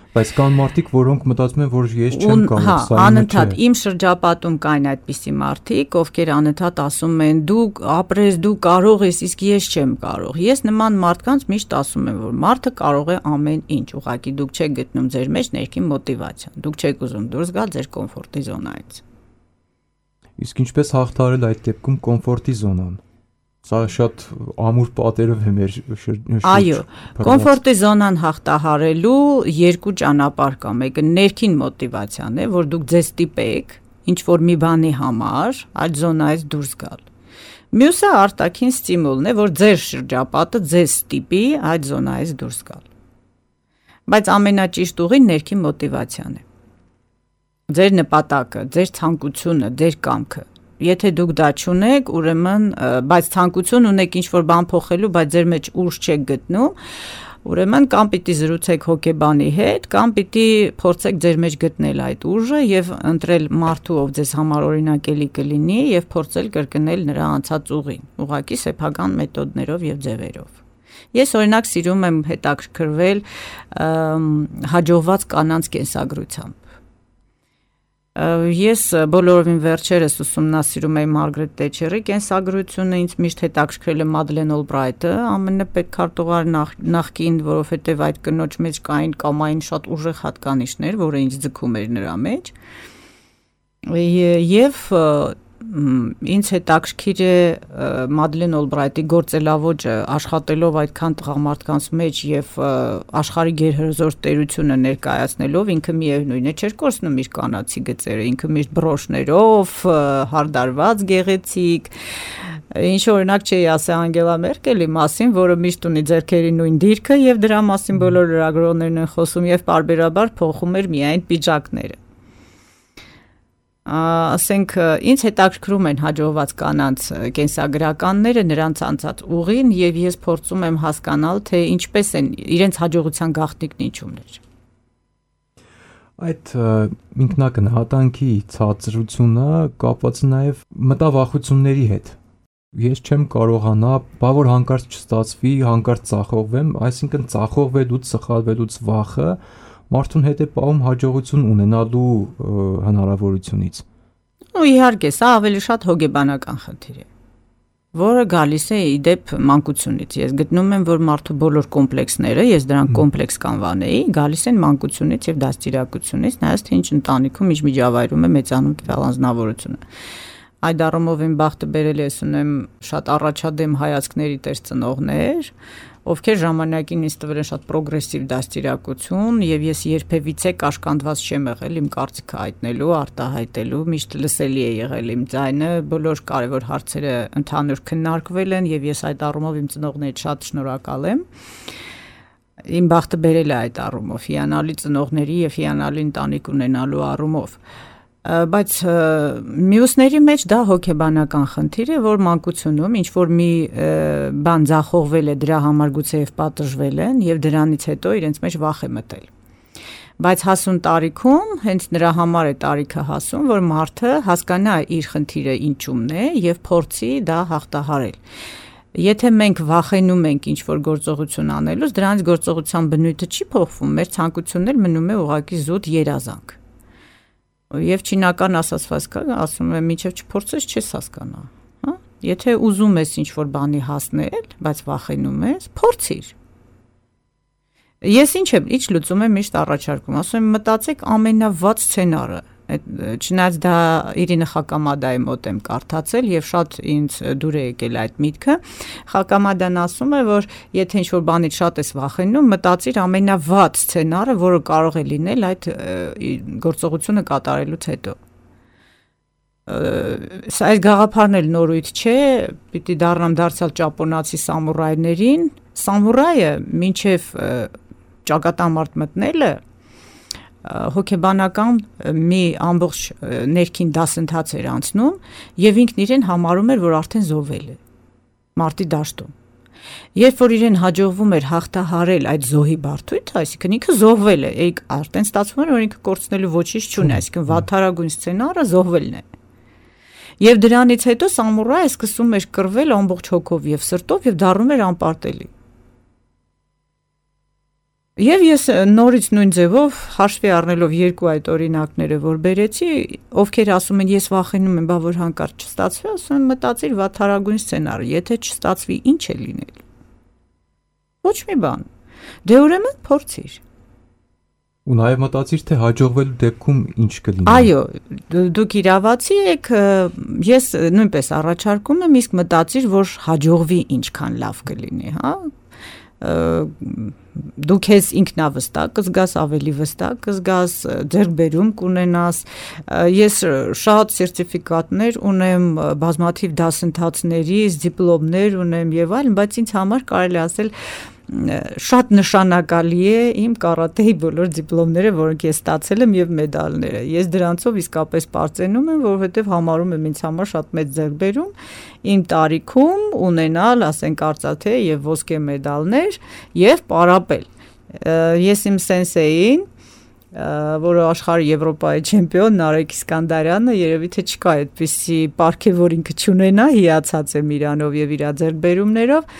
Բայց կան մարդիկ, որոնք մտածում են, որ ես չեմ կարող, սա անընդհատ իմ շրջապատում կային այդպիսի մարդիկ, ովքեր անընդհատ ասում են դու ապրես, դու կարող ես, իսկ ես չեմ կարող։ Ես նման մարդկանց միշտ ասում եմ, որ մարդը կարող է ամեն ինչ, ուղղակի դուք չեք գտնում ձեր մեջ ներքին մոտիվացիան։ Դուք չեք ուզում դուրս գալ ձեր կոմֆորտի զոնայից։ Իսկ ինչպես հաղթահարել այդ դեպքում կոմֆորտի զոնան։ Սա շատ ամուր պատերով է մեր Այո, կոմֆորտի զոնան հաղթահարելու երկու ճանապարհ կա։ Մեկը ներքին մոտիվացիան է, որ դուք ձեզ ստիպեք ինչ որ մի բանի համար այդ զոնայից դուրս գալ։ Մյուսը արտաքին ստիմուլն է, որ ձեր շրջապատը ձեզ ստիպի այդ զոնայից դուրս գալ։ Բայց ամենաճիշտ ուղին ներքին մոտիվացիան է։ Ձեր նպատակը, ձեր ցանկությունը, ձեր կամքը։ Եթե դուք դա չունեք, ուրեմն, բայց ցանկություն ունեք ինչ-որ բան փոխելու, բայց ձեր մեջ ուժ չեք գտնում, ուրեմն կամ պիտի զրուցեք հոգեբանի հետ, կամ պիտի փորձեք ձեր մեջ գտնել այդ ուժը եւ ընտրել մարդու, ով ձեզ համար օրինակելի կլինի եւ փորձել կրկնել նրա անցած ուղին, ուղղակի սեփական մեթոդներով եւ ձևերով։ Ես օրինակ սիրում եմ հետաքրքրվել հաջողված կանանց կենսագրությամբ։ Ես բոլորովին վերջերս ուսումնասիրում եմ Մարգրետ Թետչերի կենսագրությունը, ինձ միշտ հետաքրքրել է Մադլեն Օլբրայթը, ԱՄՆ պետքարտուղար նախկին, որովհետև այդ կնոջ մեջ կային կամային շատ ուժեղ հատկանիշներ, որը ինձ ձգում էր նրա մեջ։ Եվ ինձ հետաքրքիր է Մադլեն Օլբրայթի գործելավոճը, աշխատելով այդքան տղամարդկանց մեջ եւ աշխարհի գերհզոր տերությունը ներկայացնելով, ինքը միևնույն է չէր կորցնում իր կանացի գծերը, ինքը միշտ բրոշներով, հարդարված, գեղեցիկ, ինչ օրինակ չի ասել Անգելա Մերկելի մասին, որը միշտ ունի ձեռքերի նույն դիրքը եւ դրա մասին բոլոր լրագրողներն են խոսում եւ պարբերաբար փոխում էր միայն պիջակները։ Ասենք ինձ հետաքրքրում են հաջողված կանանց կենսագրականները, նրանց անցած ուղին եւ ես փորձում եմ հասկանալ, թե ինչպես են իրենց հաջողության գաղտնիքն ինչումն էր։ Այդ ինքնակնահատանքի ցածրությունը կապված է նաեւ մտավախությունների հետ։ Ես չեմ կարողանա, բա որ հանկարծ չստացվի, հանկարծ ծախողվեմ, այսինքն ծախողվելուց, սխալվելուց վախը մարդուն հետ է պահում հաջողություն ունենալու հնարավորությունից։ Ու իհարկե, սա ավելի շատ հոգեբանական խնդիր է, որը գալիս է իդեպ մանկությունից։ Ես գտնում եմ, որ մարդու բոլոր կոմպլեքսները, ես դրանք կոմպլեքս կանվանեի, գալիս են մանկությունից եւ դաստիարակությունից, նայած թե ինչ ընտանիքում միջմիջավայրում է մեծանում տվյալ անձնավորությունը։ Այդ առումով իմ բախտը բերել ես ունեմ շատ առաջադեմ հայացքների տեր ծնողներ, ովքեր ժամանակին ինձ տվել են շատ պրոգրեսիվ դաստիարակություն եւ ես երբևիցե կաշկանդված չեմ եղել իմ կարծիքը հայտնելու, արտահայտելու, միշտ լսելի է եղել իմ ձայնը, բոլոր կարևոր հարցերը ընդհանուր քննարկվել են եւ ես այդ առումով իմ ծնողներից շատ շնորհակալ եմ։ Իմ բախտը բերել է այդ առումով, հիանալի ծնողների եւ հիանալի ընտանիք ունենալու առումով։ Բայց մյուսների մեջ դա հոգեբանական խնդիր է, որ մանկությունում ինչ որ մի բան ձախողվել է, դրա համար գուցեև պատժվել են եւ դրանից հետո իրենց մեջ վախ է մտել։ Բայց հասուն տարիքում հենց նրա համար է տարիքը հասուն, որ մարդը հասկանա իր խնդիրը ինչումն է եւ փորձի դա հաղթահարել։ Եթե մենք վախենում ենք ինչ որ գործողություն անելուց, դրանից գործողության բնույթը չի փոխվում, մեր ցանկությունն էլ մնում է ուղղակի զուտ երազանք։ Եվ չինական ասացված կա, ասում եմ, մինչև չփորձես չես հասկանա, հա? Եթե ուզում ես ինչ-որ բանի հասնել, բայց վախենում ես, փորձիր։ Ես ինչ լուծում եմ միշտ առաջարկում, ասում եմ, մտածեք ամենավատ սցենարը, չնայած դա Իրինա Խակամադայի մոտ եմ կարդացել եւ շատ ինձ դուր է եկել այդ միտքը։ Խակամադան ասում է, որ եթե ինչ-որ բանից շատ ես վախենում, մտածիր ամենավատ սցենարը, որը կարող է լինել այդ գործողությունը կատարելուց հետո։ Այս գաղափարն էլ նորույթ չէ, պիտի դարձյալ ճապոնացի սամուրայներին։ Սամուրայը մինչև ճակատամարտ մտնելը հոգեբանական մի ամբողջ ներքին դասընթաց էր անցնում եւ ինքն իրեն համարում էր, որ արդեն զոհվել է մարտի դաշտում։ Երբ որ իրեն հաջողվում էր հաղթահարել այդ զոհի բարդույթը, այսինքն ինքը զոհվել է, արդեն ստացվում էր, որ ինքը կորցնելու ոչինչ չունի, այսինքն վատթարագույն սցենարը զոհվելն է։ Եվ դրանից հետո սամուրայը սկսում էր կռվել ամբողջ հոգով եւ սրտով եւ դառնում էր անպարտելի։ Եվ ես նորից նույն ձևով հաշվի առնելով երկու այդ օրինակները, որ բերեցի, ովքեր ասում են ես վախենում եմ, բա որ հանկարծ չստացվի, ասում եմ մտածիր վատթարագույն սցենարը, եթե չստացվի, ինչ է լինելու։ Ոչ մի բան։ Դե ուրեմն փորձիր։ Ու նաև մտածիր, թե հաջողվելու դեպքում ինչ կլինի։ Այո, դուք իրավացի եք, ես նույնպես առաջարկում եմ, իսկ մտածիր, որ հաջողվի ինչքան լավ կլինի, հա։ Դու քեզ ինքնավստահ կզգաս, ավելի վստահ կզգաս, ձեռքբերում կունենաս։ Ես շատ սերտիֆիկատներ ունեմ, բազմաթիվ դասընթացների, դիպլոմներ ունեմ եւ այլն, բայց ինձ համար կարելի ասել շատ նշանակալի է իմ կարատեի բոլոր դիպլոմները, որոնք ես ստացել եմ եւ մեդալները։ Ես դրանցով իսկապես պարծենում եմ, որովհետեւ համարում եմ ինձ համար շատ մեծ ձեռքբերում իմ տարիքում ունենալ, ասենք, արծաթե եւ ոսկե մեդալներ եւ պարապել։ Ես իմ սենսեին, որը աշխարհի Եվրոպայի չեմպիոն Նարեկ Իսկանդարյանը, երևի թե չկա այդպիսի պարգև, որ ինքը չունենա, հիացած եմ իրանով եւ իր ձեռքբերումներով։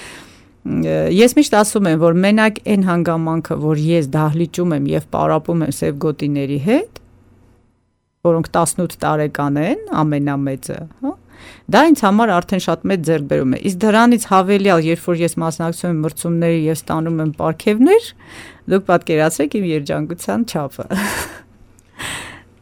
Ես միշտ ասում եմ, որ մենակ այն հանգամանքը, որ ես դահլիճում եմ եւ պարապում եմ սև գոտիների հետ, որոնք 18 տարեկան են, ամենամեծը, հա, դա ինձ համար արդեն շատ մեծ ձեռքբերում է։ Իսկ դրանից հավելյալ, երբ որ ես մասնակցում եմ մրցումների եւ ստանում եմ պարգևներ, դուք պատկերացրեք իմ երջանկության չափը։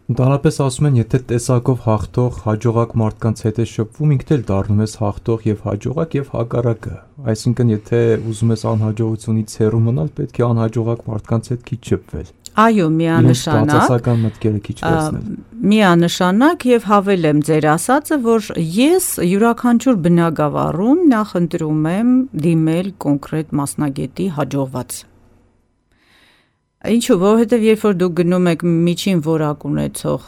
Ընդհանրապես ասում են, եթե տեսակով հաղթող հաջողակ մարդկանց հետ ես շփվում, ինքդ էլ դառնում ես հաղթող եւ հաջողակ եւ հակառակը։ Այսինքն, եթե ուզում ես անհաջողությունից հեռու մնալ, պետք է անհաջողակ մարդկանց հետ քիչ շփվել։ Այո, միանշանակ։ Բացասական մտքերը քիչ տեսնել։ Միանշանակ եւ հավելեմ ձեր ասածը, որ ես յուրաքանչյուր բնագավառում նախընտրում եմ դիմել կոնկրետ մասնագետի հաջողված։ Ինչու, որովհետև երբ որ դուք գնում եք միջին որակ ունեցող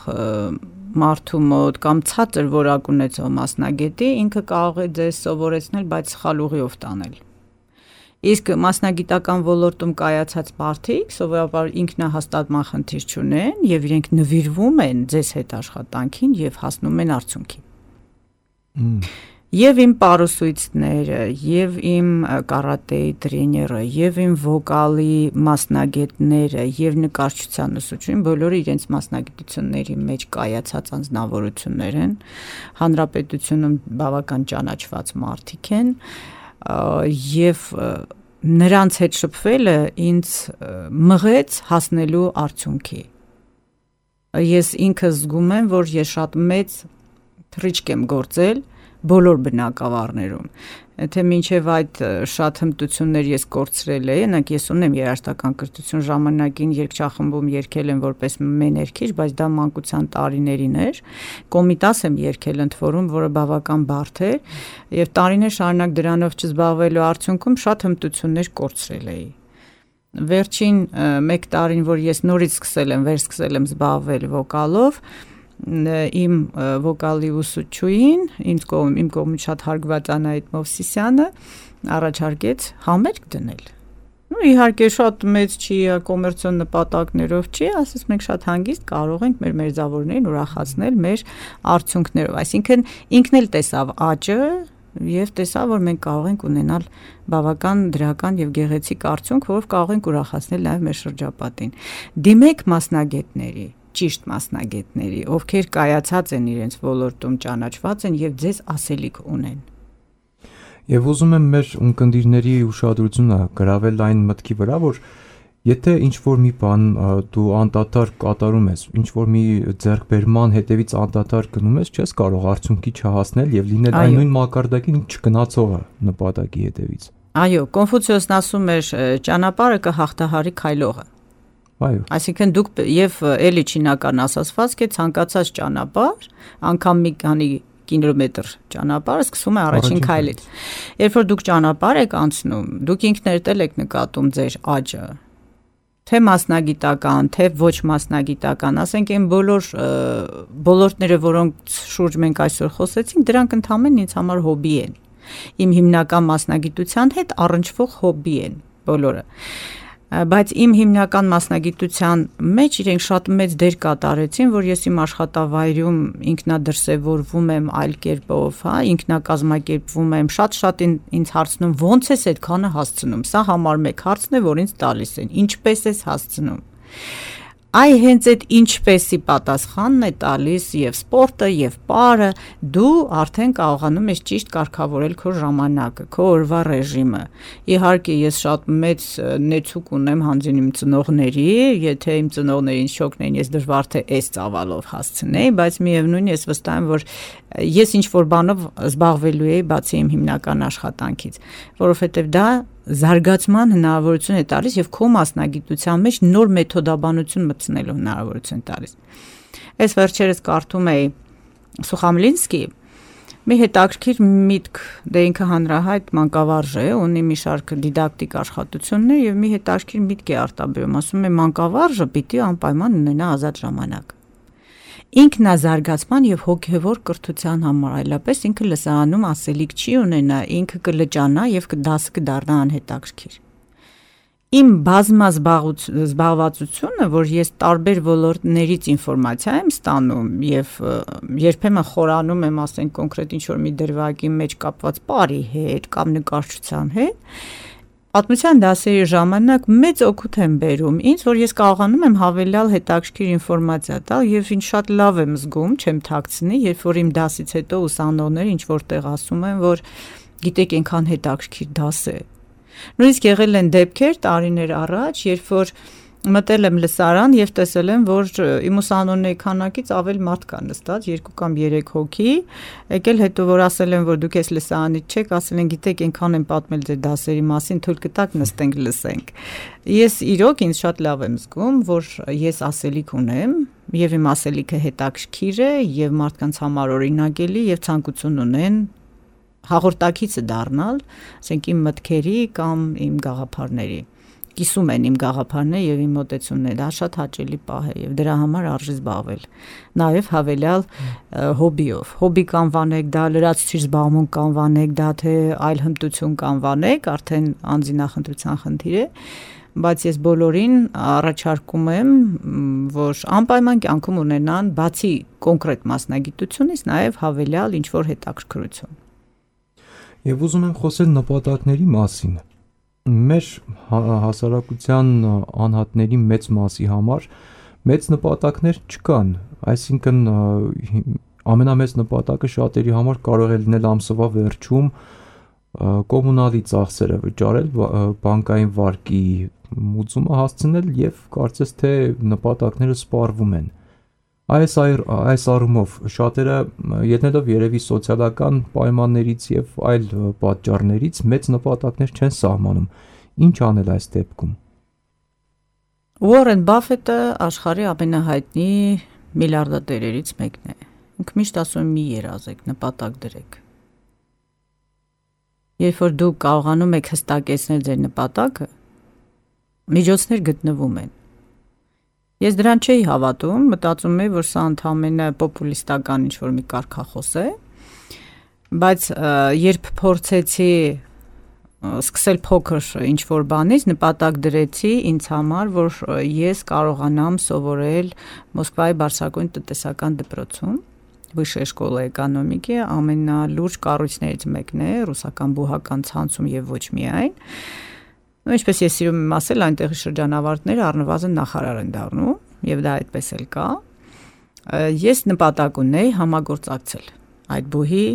մարդու մոտ կամ ցածր որակ ունեցող մասնագետի, ինքը կարող է ձեզ սովորեցնել, բայց սխալ ուղիով տանել։ Իսկ մասնագիտական ոլորտում կայացած մարդիկ սովորաբար ինքնահաստատման խնդիր չունեն եւ իրենք նվիրվում են ձեզ հետ աշխատանքին եւ հասնում են արդյունքի։ Եվ իմ պարուսույցները, եւ իմ կարատեի տրեյները, եւ իմ վոկալի մասնագետները, եւ նկարչության ուսուցչուհին բոլորը իրենց մասնագիտությունների մեջ կայացած անձնավորություններ են, հանրապետությունում բավական ճանաչված մարդիկ են, եւ նրանց հետ շփվելը ինձ մղեց հասնելու արդյունքի։ Ես ինքս զգում եմ, որ ես շատ մեծ թռիչք եմ գործել բոլոր բնակավարներում, թե մինչև այդ շատ հմտություններ ես կորցրել եմ, այնակ ես ունեմ երաժշտական կրթություն, ժամանակին երգչախմբում երգել եմ որպես մեներքիչ, բայց դա մանկության տարիներին էր, կոմիտաս եմ երգել ընդ որում, որը բավական բարդ էր, եւ տարիներ շարունակ դրանով չզբաղվելու արդյունքում շատ հմտություններ կորցրել էի։ Վերջին 1 տարին, որ ես նորից վերսկսել եմ զբաղվել վոկալով, իմ վոկալի ուսուցչուհին, իմ կողմից շատ հարգված Անահիտ Մովսիսյանը առաջարկեց համերգ դնել։ Իհարկե շատ մեծ չի, կոմերցիոն նպատակներով չի, ասես մենք շատ հանգիստ կարող ենք մեր մերձավորներին ուրախացնել մեր արդյունքներով, այսինքն ինքն էլ տեսավ աճը եւ տեսավ, որ մենք կարող ենք ունենալ բավական դրական եւ գեղեցիկ արդյունք, որով կարող ենք ուրախացնել նաեւ մեր շրջապատին։ Դիմեք մասնագետների, ճիշտ մասնագետների, ովքեր կայացած են իրենց ոլորտում, ճանաչված են եւ ձեզ ասելիք ունեն։ Եվ ուզում եմ մեր ունկնդիրների ուշադրությունը գրավել այն մտքի վրա, որ եթե ինչ-որ մի բան դու անդադար կատարում ես, ինչ-որ մի ձեռքբերման հետևից անդադար գնում ես, չես կարող արդյունքի չհասնել եւ լինել այն նույն մակարդակին չգնացողը նպատակի հետևից։ Այո, Կոնֆուցիոսն ասում էր, ճանապարհը կհաղթահարի քայլողը։ Այո։ Այսինքն դուք եւ էլի չինական ասացվածք է ցանկացած ճանապարհ, անգամ մի քանի կիլոմետր ճանապարհը սկսում է առաջին քայլից։ Երբ որ դուք ճանապարհ եք անցնում, դուք ինքներդ եք նկատում ձեր աճը, թե մասնագիտական, թե ոչ մասնագիտական, ասենք այն ոլորտները, որոնց շուրջ մենք այսօր խոսեցինք, դրանք ընդհանրապես ինձ համար հոբի են։ Իմ հիմնական մասնագիտության հետ առնչվող հոբի են բոլորը։ Բայց իմ հիմնական մասնագիտության մեջ իրենք շատ մեծ դեր կատարեցին, որ ես իմ աշխատավայրում ինքնադրսևորվում եմ այլ կերպով, հա, ինքնակազմակերպվում եմ, շատ ինձ հարցնում ո՞նց ես այդքանը հասցնում։ Սա համար մեկ հարցն է, որ ինձ տալիս են, ինչպես ես հասցնում։ Այ հենց այդ ինչպեսի պատասխանն է տալիս եւ սպորտը եւ պարը, դու արդեն կարողանում ես ճիշտ կարգավորել քո ժամանակը, քո օրվա ռեժիմը։ Իհարկե ես շատ մեծ նեցուկ ունեմ հանձին իմ ծնողների, եթե իմ ծնողները ինձ չօգնեին, ես դժվար թե այս ծավալով հասցնեի, բայց միևնույն ես վստահ եմ, որ ես ինչ որ բանով զբաղվելու էի բացի իմ հիմնական աշխատանքից, որովհետեւ դա զարգացման հնարավորություն է տալիս եւ քո մասնագիտության մեջ նոր մեթոդաբանություն մտցնելու հնարավորություն տալիս։ Այս վերջերս կարդում էի Սուխամլինսկի Մի հետաքրքիր միտք, դե ինքը հանրահայտ մանկավարժ է, ունի մի շարք դիդակտիկ աշխատություններ եւ մի հետաքրքիր միտք է արտաբերում, ասում է մանկավարժը պիտի անպայման ունենա ազատ ժամանակ։ Ինքնազարգացման եւ հոգեվոր կրթության համար, այլապես ինքը լսարանում ասելիք չի ունենա, ինքը կլճանա եւ դասը կդառնա անհետաքրքիր։ Իմ զբաղվածությունը, որ ես տարբեր ոլորտներից ինֆորմացիա եմ ստանում եւ երբեմն խորանում եմ, ասենք կոնկրետ ինչ-որ մի դրվագի մեջ կապված բարի հետ կամ նկարչության հետ, պատմության դասերի ժամանակ մեծ օգուտ եմ բերում ինձ, որ ես կարողանում եմ հավելյալ հետաքրքիր ինֆորմացիա տալ եւ ինչ շատ լավ եմ զգում, չեմ թաքցնի, երբ որ իմ դասից հետո ուսանողները ինչ որտեղ ասում են, որ գիտեք, այնքան հետաքրքիր դաս է։ Նույնիսկ եղել են դեպքեր տարիներ առաջ, երբ որ մտել եմ լսարան եւ տեսել եմ, որ իմ ուսանողների քանակից ավել մարդ կա նստած, 2 կամ 3 հոգի, եկել հետո որ ասել են, որ դուք ես լսարանից չեք, ասել են, գիտեք, այնքան են պատմել ձեր դասերի մասին, թույլ կտաք նստենք լսենք։ Ես իրոք ինձ շատ լավ եմ զգում, որ ես ասելիք ունեմ եւ իմ ասելիքը հետաքրքիր է եւ մարդկանց համար օրինակելի եւ ցանկություն ունեն հաղորդակիցը դառնալ, ասենք իմ մտքերի կամ իմ գաղափարների։ Կիսում են իմ գաղափարները եւ իմ մոտեցումները, դա շատ հաճելի պահ է եւ դրա համար արժի զբաղվել։ Նաեւ հավելյալ հոբիով։ Հոբի կանվանեք, դա լրացուցիչ զբաղմունք կանվանեք, դա թե այլ հմտություն կանվանեք, արդեն անձնախնդրության խնդիր է, բայց ես բոլորին առաջարկում եմ, որ անպայման կյանքում ունենան բացի կոնկրետ մասնագիտությունից նաեւ հավելյալ ինչ որ հետաքրքրություն։ Եվ ուզում եմ խոսել նպատակների մասին։ Մեր հասարակության անհատների մեծ մասի համար մեծ նպատակներ չկան, այսինքն ամենամեծ նպատակը շատերի համար կարող է լինել ամսվա վերջում կոմունալի ծախսերը վճարել, բանկային վարկի մուծումը հասցնել եւ կարծես թե նպատակները սպառվում են։ Այս առումով շատերը ելնելով երևի սոցիալական պայմաններից եւ այլ պատճառներից մեծ նպատակներ չեն սահմանում։ Ինչ անել այս դեպքում։ Ուորեն Բաֆետը աշխարհի ամենահայտնի միլիարդատերերից մեկն է։ Ինքը միշտ ասում է՝ մի երազեք, նպատակ դրեք։ Երբ որ դուք կարողանում եք հստակեցնել ձեր նպատակը, միջոցներ գտնվում են։ Ես դրան չէի հավատում, մտածում եմ, որ սա ընդհանրապես պոպուլիստական ինչ-որ մի կարգախոս է, բայց երբ փորձեցի սկսել փոքր ինչ-որ բանից, նպատակ դրեցի ինձ համար, որ ես կարողանամ սովորել Մոսկվայի բարձրագույն տնտեսական դպրոցում, Վышեյ շկոլա էկոնոմիկի, ամենալուրջ կառույցներից մեկն է ռուսական բուհական ցանցում եւ ոչ միայն։ Ինչպես ես սիրում եմ ասել, այնտեղի շրջանավարտները առնվազն նախարար են դառնում, եւ դա այդպես էլ կա։ Ես նպատակ ունեի համագործակցել այդ բուհի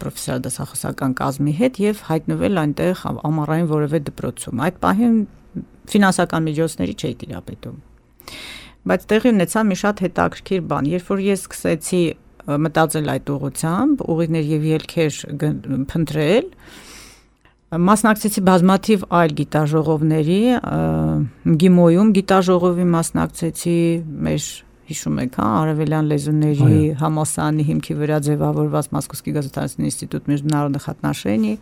պրոֆեսիոնալ դասախոսական կազմի հետ եւ հայտնվել այնտեղ ամառային որևէ դպրոցում։ Այդ պահին ֆինանսական միջոցների չէի տիրապետում։ Բայց տեղի ունեցա մի շատ հետաքրքիր բան, երբ որ ես սկսեցի մտածել այդ ուղղությամբ, ուղիներ եւ ելքեր փնտրել, մասնակցեցի բազմաթիվ այլ գիտաժողովների, Գիմոյում գիտաժողովի մասնակցեցի, մեր հիշում եք, արևելյան լեզուների համալսարանի հիմքի վրա ձևավորված Մոսկովский государственный институт международных отношений,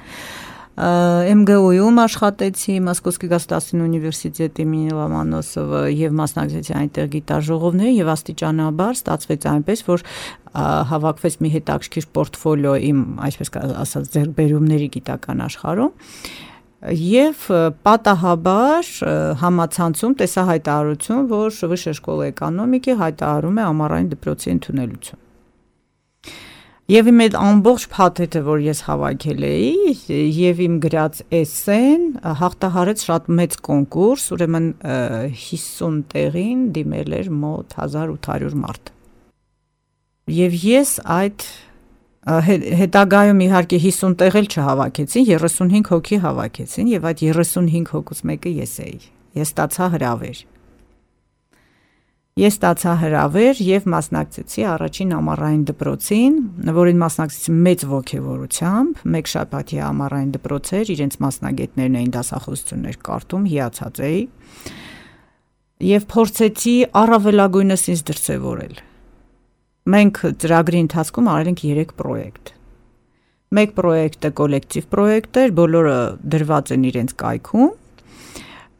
ՄԳՈ-ում աշխատեցի, Մոսկովский государственный университет имени Lomonosova եւ մասնակցեցի այնտեղ գիտաժողովների եւ աստիճանաբար ստացվեց այնպես, որ հավաքվեց մի հետաքրքիր պորտֆոլիո իմ, այսպես ասած, ձեռքբերումների գիտական աշխարհում եւ պատահաբար համացանցում տեսա հայտարարություն, որ Վышեյ շկոլա էկոնոմիկի հայտարարում է ամառային դպրոցի ընդունելություն։ Եվ իմ այդ ամբողջ փաթեթը, որ ես հավաքել էի, եւ իմ գրած էսսեն հաղթահարեց շատ մեծ կոնկուրս, ուրեմն 50 տեղին դիմել էր մոտ 1800 մարդ։ Եվ ես այդ հետագայում իհարկե 50 տեղ էլ չհավաքեցին, 35 հոգի հավաքեցին եւ այդ 35 հոգուց մեկը ես էի։ Ես ստացա հրավեր եւ մասնակցեցի առաջին ամառային դպրոցին, որին մասնակցեցի մեծ ոգևորությամբ, մեկ շաբաթի ամառային դպրոց էր, իրենց մասնագետներն էին դասախոսություններ կարդում, հիացած էի եւ փորձեցի առավելագույնս ինձ դրսեւորել։ Մենք ծրագրի ընթացքում արել ենք 3 պրոյեկտ։ Մեկ պրոյեկտը կոլեկտիվ պրոյեկտ էր, բոլորը դրված են իրենց կայքում,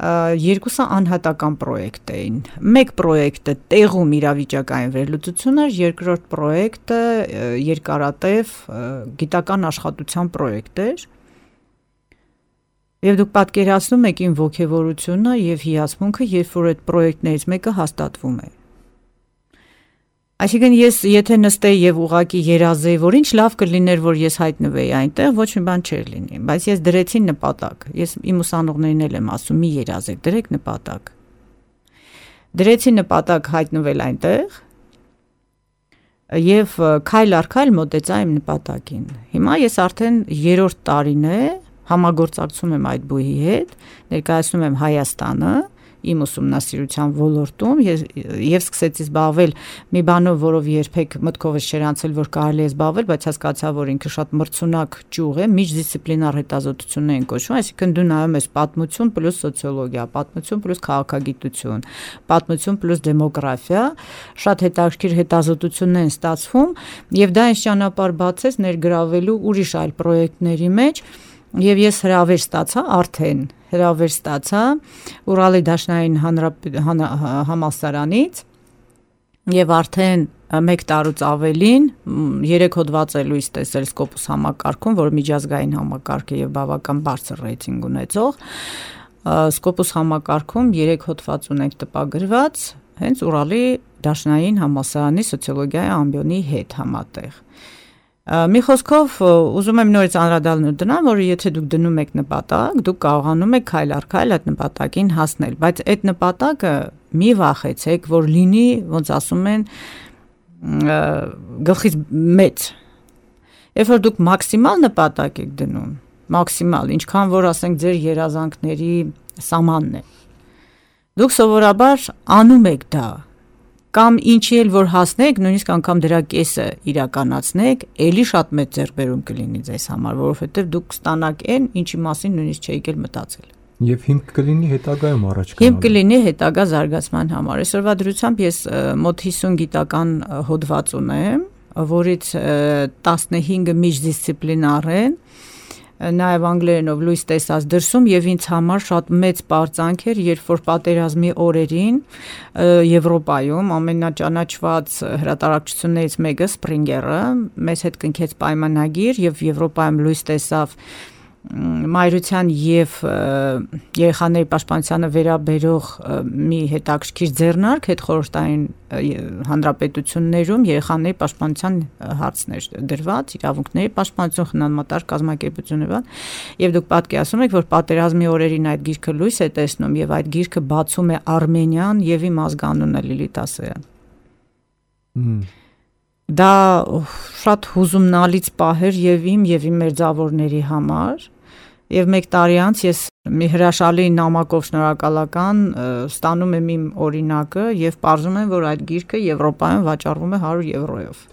երկուսը անհատական պրոյեկտ էին։ Մեկ պրոյեկտը տեղում իրավիճակային վերլուծություն էր, երկրորդ պրոյեկտը երկարատև գիտական աշխատության պրոյեկտ էր։ Եվ դուք պատկերացնում եք իմ ոգևորությունը եւ հիացմունքը, երբ որ այդ պրոյեկտներից մեկը հաստատվում է։ Այսինքն ես եթե նստեի եւ ուղակի երազեի, որ ինչ լավ կլիներ, որ ես հայտնվեի այնտեղ, ոչ մի բան չէր լինի, բայց ես դրեցի նպատակ։ Ես իմ ուսանողներին էլ եմ ասում՝ մի երազեք, դրեք նպատակ։ Դրեցի նպատակ հայտնվել այնտեղ եւ քայլ առ քայլ մոտեցա իմ նպատակին։ Հիմա ես արդեն 3-րդ տարին է համագործակցում եմ այդ բուհի հետ, ներկայացնում եմ Հայաստանը իմ ուսումնասիրության ոլորտում եւ սկսեցի զբաղվել մի բանով, որով երբեք մտքովս չէր անցել, որ կարելի է զբաղվել, բայց հասկացա, որ ինքը շատ մրցունակ ճյուղ է, միջդիսցիպլինար հետազոտություններ են կոչվում, այսինքն դու նայում ես պատմություն պլյուս սոցիոլոգիա, պատմություն պլյուս քաղաքագիտություն, պատմություն պլյուս դեմոգրաֆիա, շատ հետաքրքիր հետազոտություններ են ստացվում եւ դա ինձ ճանապարհ բացեց ներգրավելու ուրիշ այլ պրոյեկտների մեջ եւ ես հրավեր ստացա Ուրալի դաշնային համալսարանից եւ արդեն 1 տարուց ավելին 3 հոդված է լույս տեսել Scopus համակարգում, որը միջազգային համակարգ է եւ բավական բարձր ռեյտինգ ունեցող Scopus համակարգում 3 հոդված ունենք տպագրված հենց Ուրալի դաշնային համալսարանի սոցիոլոգիայի ամբիոնի հետ համատեղ Մի խոսքով ուզում եմ նորից անդրադառնալ դրան, որ եթե դուք դնում եք նպատակ, դուք կարողանում եք քայլ առ քայլ այդ նպատակին հասնել, բայց այդ նպատակը մի վախեցեք, որ լինի, ոնց ասում են, գլխից մեծ։ Երբ որ դուք մաքսիմալ նպատակ եք դնում, մաքսիմալ, ինչքան որ ասենք ձեր երազանքների սահմանն է։ Դուք սովորաբար անում եք դա կամ ինչի էլ որ հասնեք, նույնիսկ անգամ դրա կեսը իրականացնեք, ելի շատ մեծ ձեռքբերում կլինի ձեզ համար, որովհետև դուք ստանաք այն, ինչի մասին նույնիսկ չէիք էլ մտածել։ Եվ հիմք կլինի հետագայում առաջ գնալու։ Հիմք կլինի հետագա զարգացման համար։ Այսօրվա դրությամբ ես մոտ 50 գիտական հոդված ունեմ, որից 15-ը միջդիսցիպլինար են, նաև անգլերենով լույս տեսած դրսում եւ ինձ համար շատ մեծ պարծանք էր, երբ որ պատերազմի օրերին Եվրոպայում ամենաճանաչված հրատարակչություններից մեկը Սպրինգերը մեզ հետ կնքեց պայմանագիր եւ Եվրոպայում լույս տեսավ մայրության եւ երեխաների պաշտպանությանը վերաբերող մի հետաքրքիր ձեռնարկ հետխորհրդային հանրապետություններում երեխաների պաշտպանության հարցներ դրված, իրավունքների պաշտպանություն, խնամատար կազմակերպությունը եւ դուք պատկերացնում եք, որ պատերազմի օրերին այդ գիրքը լույս է տեսնում եւ այդ գիրքը բացում է Արմենիան եւ իմ ազգանունը Լիլիթ Ասոյան։ Դա շատ հուզումնալից պահ էր եւ իմ մերձավորների համար եւ 1 տարի անց ես մի հրաշալի նամակով շնորհակալական ստանում եմ իմ օրինակը եւ պարզում եմ, որ այդ գիրքը Եվրոպայում վաճառվում է 100 եվրոյով։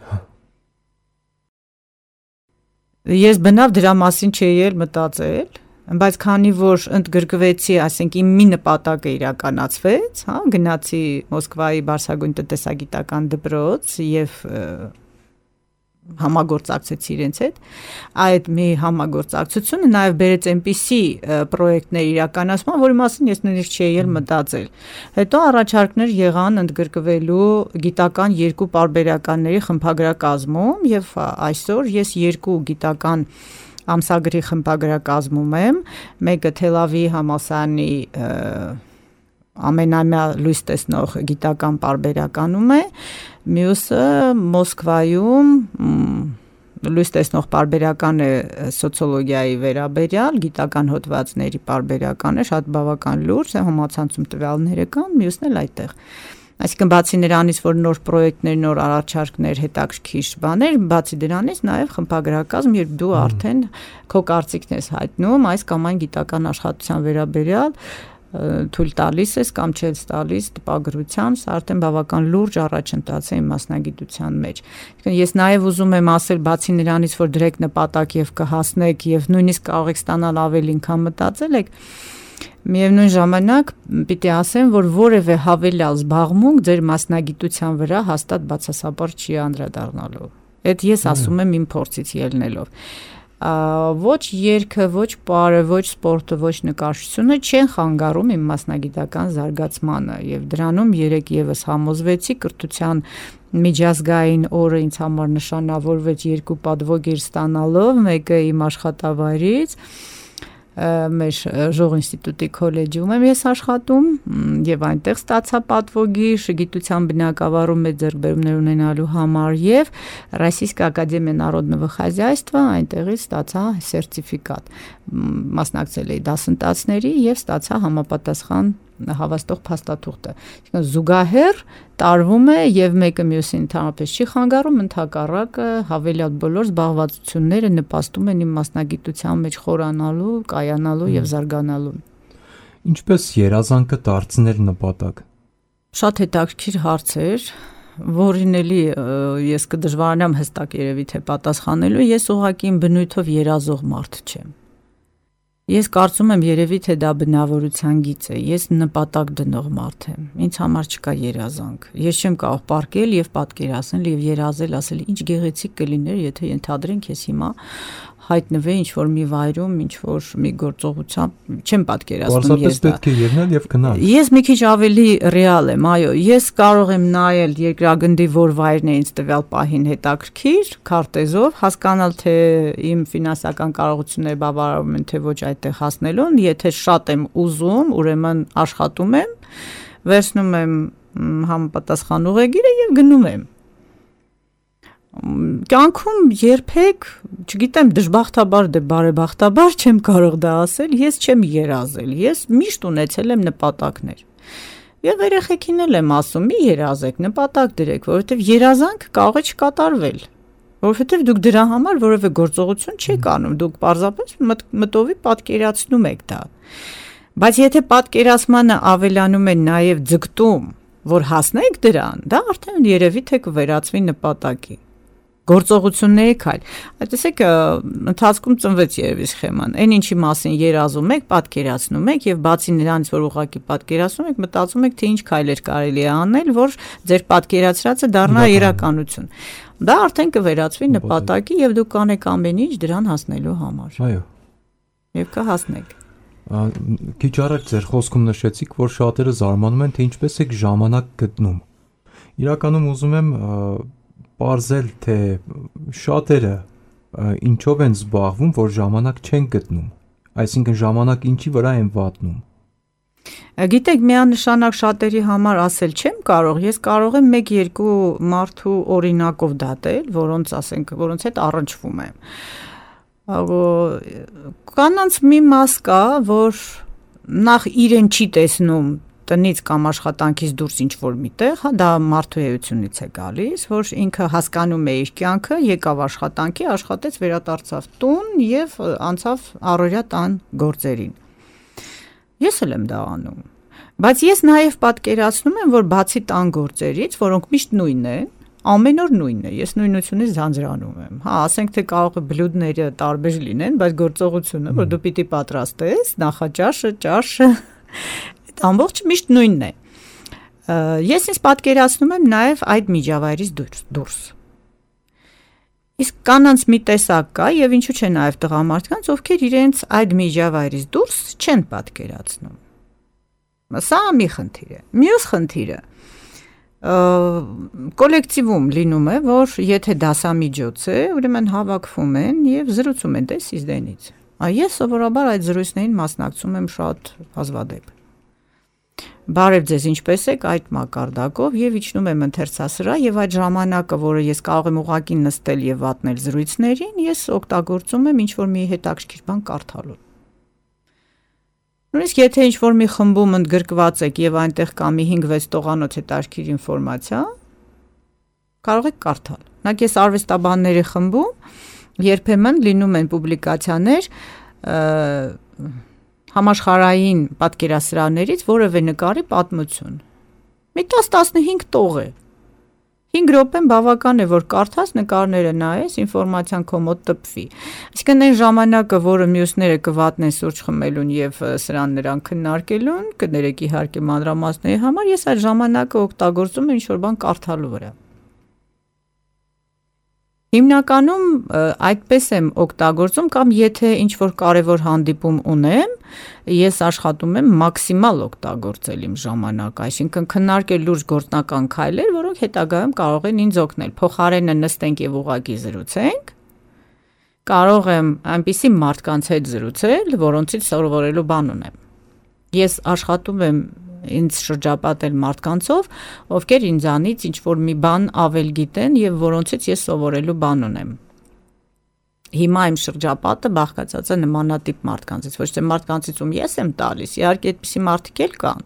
Ես բնավ դրա մասին չէի էլ մտածել, բայց քանի որ ընդգրկվեցի, ասենք իմ մի նպատակը իրականացվեց, հա, գնացի Մոսկվայի Բարսագույն տնտեսագիտական դպրոց եւ համագործակցեցի իրենց հետ, այդ մի համագործակցությունը նաև բերեց այնպիսի պրոյեկտներ իրականացման, որի մասին ես նույնիսկ չէի էլ մտածել։ Հետո առաջարկներ եղան ընդգրկվելու գիտական 2 պարբերականների խմբագրակազմում եւ այսօր ես 2 գիտական ամսագրի խմբագրակազմում եմ, մեկը Թել Ավիվի համալսարանի ամենամյա լույս տեսնող գիտական պարբերականում է, մյուսը Մոսկվայում լույս տեսնող պարբերական է սոցիոլոգիայի վերաբերյալ, գիտական հոդվածների պարբերական է, շատ բավական լուրջ, համացանցում տվյալները կան, մյուսն էլ այդտեղ։ Այսինքն բացի նրանից, որ նոր պրոյեկտներ, նոր առաջարկներ, հետաքրքիր բաներ, բացի դրանից նաև խմբագրակազմ, երբ դու արդեն քո կարծիքն ես հայտնում այս կամ այն գիտական աշխատության վերաբերյալ, թույլ տալիս ես կամ չես տալիս տպագրության, սա արդեն բավական լուրջ առաջընթաց է իմ մասնագիտության մեջ։ Ես նաև ուզում եմ ասել, բացի նրանից, որ դրեք նպատակ եւ կհասնեք եւ նույնիսկ կարող եք ստանալ ավելին, քան մտածել եք, միևնույն ժամանակ պիտի ասեմ, որ որևէ հավելյալ զբաղմունք ձեր մասնագիտության վրա հաստատ բացասաբար չի անդրադառնալու։ Այդ ես ասում եմ իմ փորձից ելնելով։ Ոչ երգը, ոչ պարը, ոչ սպորտը, ոչ նկարչությունը չեն խանգարում իմ մասնագիտական զարգացմանը եւ դրանում երեք եւս համոզվեցի կրթության միջազգային օրը ինձ համար նշանավորվեց 2 պատվոգիր ստանալով, մեկը իմ աշխատավայրից մեր Ժող ինստիտուտի քոլեջում եմ ես աշխատում եւ այնտեղ ստացա պատվոգիր գիտության բնագավառում մեծ ձեռքբերումներ ունենալու համար եւ Российская академия народного хозяйства այնտեղից ստացա սերտիֆիկատ մասնակցել էի դասընթացների եւ ստացա համապատասխան հավաստող փաստաթուղթը զուգահեռ տարվում է եւ մեկը մյուսին ընդհանրապես չի խանգարում ընդհակառակը հավելյալ բոլոր զբաղվածությունները նպաստում են իմ մասնագիտության մեջ խորանալու, կայանալու եւ զարգանալու Ինչպես երազանքը դարձնել նպատակ Շատ հետաքրքիր հարց էր որին էլի ես կդժվարանամ հստակ երևի թե պատասխանելու ես ուղղակի իմ բնույթով երազող մարդ չեմ Ես կարծում եմ երևի թե դա բնավորության գիծ է ես նպատակ դնող մարդ եմ ինձ համար չկա երազանք ես չեմ կարող պարկել եւ պատկերացնել եւ երազել ասել ինչ գեղեցիկ կլիներ եթե ենթադրենք ես հիմա հայտնվեի ինչ որ մի վայրում ինչ որ մի գործողությամբ չեմ պատկերացնում ես դա պետք է ելնել եւ գնալ Ես մի քիչ ավելի ռեալ եմ այո ես կարող եմ նայել երկրագնդի որ վայրն է ինձ տվյալ պահին հետաքրքիր քարտեզով հասկանալ թե իմ ֆինանսական կարողությունները բավարարում են թե ոչ այդտեղ հասնելուն եթե շատ եմ ուզում ուրեմն աշխատում եմ վերցնում եմ համապատասխան ուղեգիրը եւ գնում եմ Կյանքում երբեք, չգիտեմ դժբախտաբար դե բարեբախտաբար չեմ կարող դա ասել, ես չեմ երազել, ես միշտ ունեցել եմ նպատակներ։ Եվ երեխեքին էլ եմ ասում, մի երազեք, նպատակ դրեք, որովհետև երազանք կարող է չկատարվել, որովհետև դուք դրա համար որևէ գործողություն չեք անում, դուք պարզապես մտովի պատկերացնում եք դա։ Բայց եթե պատկերացմանը ավելանում է նաև ձգտում, որ հասնեք դրան, դա արդեն երևի թե կվերածվի նպատակի։ Գործողությունների քայլ։ Այդտեսեք ընթացքում ծնվեց երևի սխեման։ Այն ինչի մասին երազում եք, պատկերացնում եք եւ բացի նրանից, որ ուղղակի պատկերացնում եք, մտածում եք, թե ինչ քայլեր կարելի է անել, որ ձեր պատկերացրածը դառնա իրականություն։ Դա արդեն կվերածվի նպատակի եւ դուք կանեք ամեն ինչ դրան հասնելու համար։ Այո։ Եվ կհասնեք։ Քիչ առաջ ձեր խոսքում նշեցիք, որ շատերը զարմանում են, թե ինչպես եք ժամանակ գտնում։ Իրականում ուզում եմ Պարզել, թե շատերը ինչով են զբաղվում, որ ժամանակ չեն գտնում, այսինքն ժամանակ ինչի վրա են վատնում։ Գիտեք, միանշանակ շատերի համար ասել չեմ կարող, ես կարող եմ 1-2 մարդու օրինակով դատել, որոնց ասենք, որոնց հետ առնչվում եմ։ Կանանց մի մաս կա, որ նախ իրեն չի տեսնում տնից կամ աշխատանքից դուրս ինչ-որ միտեղ, դա մարդու էությունից է գալիս, որ ինքը հասկանում է իր կյանքը, եկավ աշխատանքի, աշխատեց, վերադարձավ տուն եւ անցավ առօրյա տան գործերին։ Ես էլ եմ դա անում։ Բայց ես նաեւ պատկերացնում եմ, որ բացի տան գործերից, որոնք միշտ նույնն են, ամեն օր նույնն է, ես նույնությունից ձանձրանում եմ։ Հա, ասենք թե կարող է բլյուդները տարբեր լինեն, բայց գործողությունը, որ դու պիտի պատրաստես, նախաճաշը, ճաշը ամբողջ միշտ նույնն է։ Ես ինձ պատկերացնում եմ նաև այդ միջավայրից դուրս։ Իսկ կանանց մի տեսակ կա եւ ինչու՞ չէ նաև տղամարդկանց, ովքեր իրենց այդ միջավայրից դուրս չեն պատկերացնում։ Սա մի խնդիր է։ Մյուս խնդիրը կոլեկտիվում լինում է, որ եթե դասամիջոց է, ուրեմն հավաքվում են եւ զրուցում են դես իզդենից։ Ես սովորաբար այդ զրույցներին մասնակցում եմ շատ հազվադեպ։ Բարև ձեզ, ինչպես եք այդ մակարդակով եւ իջնում եմ ընթերցասրահ եւ այդ ժամանակը, որը ես կարող եմ ուղղակի նստել եւ վատնել զրույցներին, ես օգտագործում եմ ինչ-որ մի հետաքրքիր բան կարդալու։ Նույնիսկ եթե ինչ-որ մի խմբում ընդգրկված եք եւ այնտեղ կա մի 5-6 տողանոց հետաքրքիր ինֆորմացիա, կարող եք կարդալ։ Նախ ես արվեստաբանների խմբում երբեմն լինում են պուբլիկացիաներ համաշխարհային պատկերասրահներից որևէ նկարի պատմություն։ Մի 10-15 տող է։ 5 րոպեն բավական է, որ կարդաս նկարները նայես, ինֆորմացիան քո մոտ տպվի։ Այսինքն այն ժամանակը, որը մյուսները կվատնեն սուրճ խմելուն եւ սրան նրան քննարկելուն, կներեք իհարկե մանրամասների համար, ես այդ ժամանակը օգտագործում եմ ինչ-որ բան կարդալու վրա։ Հիմնականում այդպես եմ օգտագործում կամ եթե ինչ-որ կարևոր հանդիպում ունեմ, ես աշխատում եմ մաքսիմալ օգտագործել իմ ժամանակը, այսինքն քննարկել լուրջ գործնական քայլեր, որոնք հետագայում կարող են ինձ օգնել։ Փոխարենը նստենք եւ ուղղակի զրուցենք, կարող եմ այնպիսի մարդկանց հետ զրուցել, որոնցից սովորելու բան ունեմ։ Ես աշխատում եմ ինձ շրջապատել մարդկանցով, ովքեր ինձանից ինչ-որ մի բան ավել գիտեն եւ որոնցից ես սովորելու բան ունեմ։ Հիմա իմ շրջապատը բաղկացած է նմանատիպ մարդկանցից, ոչ թե մարդկանցից, ում ես եմ տալիս, իհարկե այդպիսի մարդիկ էլ կան,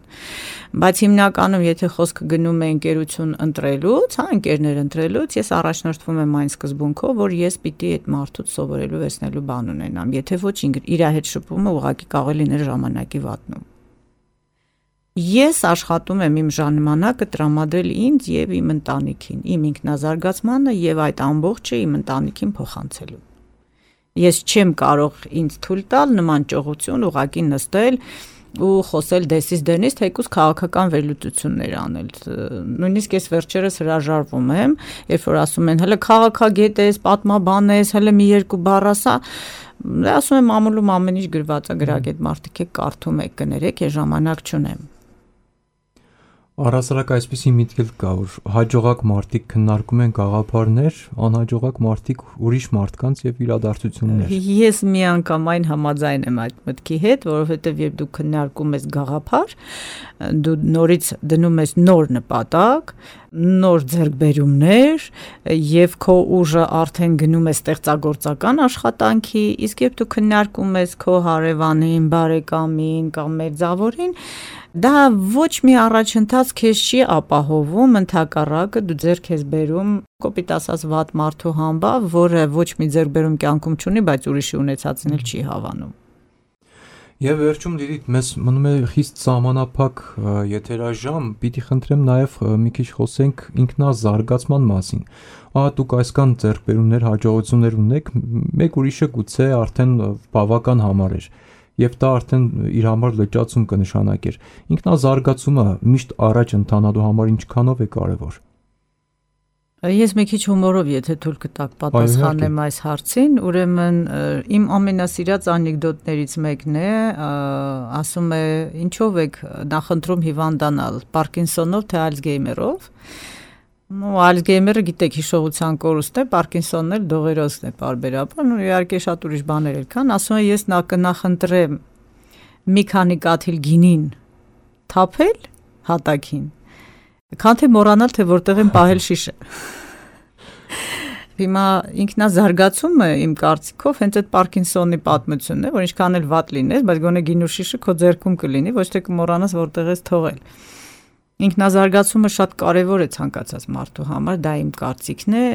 բայց հիմնականում եթե խոսքը գնում է ընկերություն ընտրելուց, ընկերներ ընտրելուց, ես առաջնորդվում եմ այն սկզբունքով, որ ես պիտի այդ մարդուց սովորելու վերցնելու բան ունենամ, եթե ոչ իր հետ շփումը ուղղակի կարող է լինել ժամանակի վատնում։ Ես աշխատում եմ իմ ժամանակը տրամադրել ինձ եւ իմ ընտանիքին, իմ ինքնազարգացմանը եւ այդ ամբողջը իմ ընտանիքին փոխանցելու։ Ես չեմ կարող ինձ թույլ տալ նման ճողություն ուղղակի նստել ու խոսել դեսից դենից, թեկուզ քաղաքական վերլուծություններ անել։ Նույնիսկ ես վերջերս հրաժարվում եմ, երբ որ ասում են, հələ քաղաքագետ ես, պատմաբան ես, հələ մի երկու բառ ասա, ասում եմ ամուլում ամեն ինչ գրված է, գրագետ մարդիկ եք, կարդում եք, կներեք, ես ժամանակ չունեմ։ Առհասարակ այսպիսի միտք կա, որ հաջողակ մարդիկ քննարկում են գաղափարներ, անհաջողակ մարդիկ ուրիշ մարդկանց եւ իրադարձություններ։ Ես միանգամայն համաձայն եմ այդ մտքի հետ, որովհետեւ երբ դու քննարկում ես գաղափար, դու նորից դնում ես նոր նպատակ, նոր ձեռքբերումներ եւ քո ուժը արդեն գնում է ստեղծագործական աշխատանքի, իսկ երբ դու քննարկում ես քո հարևանին, բարեկամին կամ մերձավորին, դա ոչ մի առաջընթաց քեզ չի ապահովում, ընդհակառակը դու ձեռք ես բերում կոպիտ ասած վատ մարդու համբավ, որը ոչ մի ձեռքբերում կյանքում չունի, բայց ուրիշի ունեցածն էլ չի հավանում։ Եվ վերջում Լիլիթ, մեզ մնում է խիստ սահմանափակ եթերաժամ, պիտի խնդրեմ նաև մի քիչ խոսենք ինքնազարգացման մասին։ Դուք այսքան ձեռքբերումներ, հաջողություններ ունեք, մեկ ուրիշը գուցե արդեն բավական համար էր, եւ դա արդեն իր համար լճացում կնշանակեր։ Ինքնազարգացումը միշտ առաջ ընթանալու համար ինչքանով է կարևոր։ Ես մի քիչ հումորով, եթե թույլ կտաք պատասխանեմ այս հարցին, ուրեմն իմ ամենասիրած անեկդոտներից մեկն է, ասում է, ինչով եք նախընտրում հիվանդանալ, Պարկինսոնով թե Ալցգեյմերով։ Ալցգեյմերը գիտեք հիշողության կորուստ է, Պարկինսոնն էլ դողերոցն է պարբերաբար, իհարկե շատ ուրիշ բաներ էլ կան, ասում է, ես կնախընտրեմ մի քանի կաթիլ գինին թափել հատակին, քան թե մոռանալ, թե որտեղ եմ պահել շիշը։ Հիմա ինքնազարգացումը իմ կարծիքով հենց այդ Պարկինսոնի պատմությունն է, որ ինչքան էլ վատ լինես, բայց գոնե գինու շիշը քո ձեռքում կլինի, ոչ թե կմոռանաս որտեղ ես թողել։ Ինքնազարգացումը շատ կարևոր է ցանկացած մարդու համար, դա իմ կարծիքն է,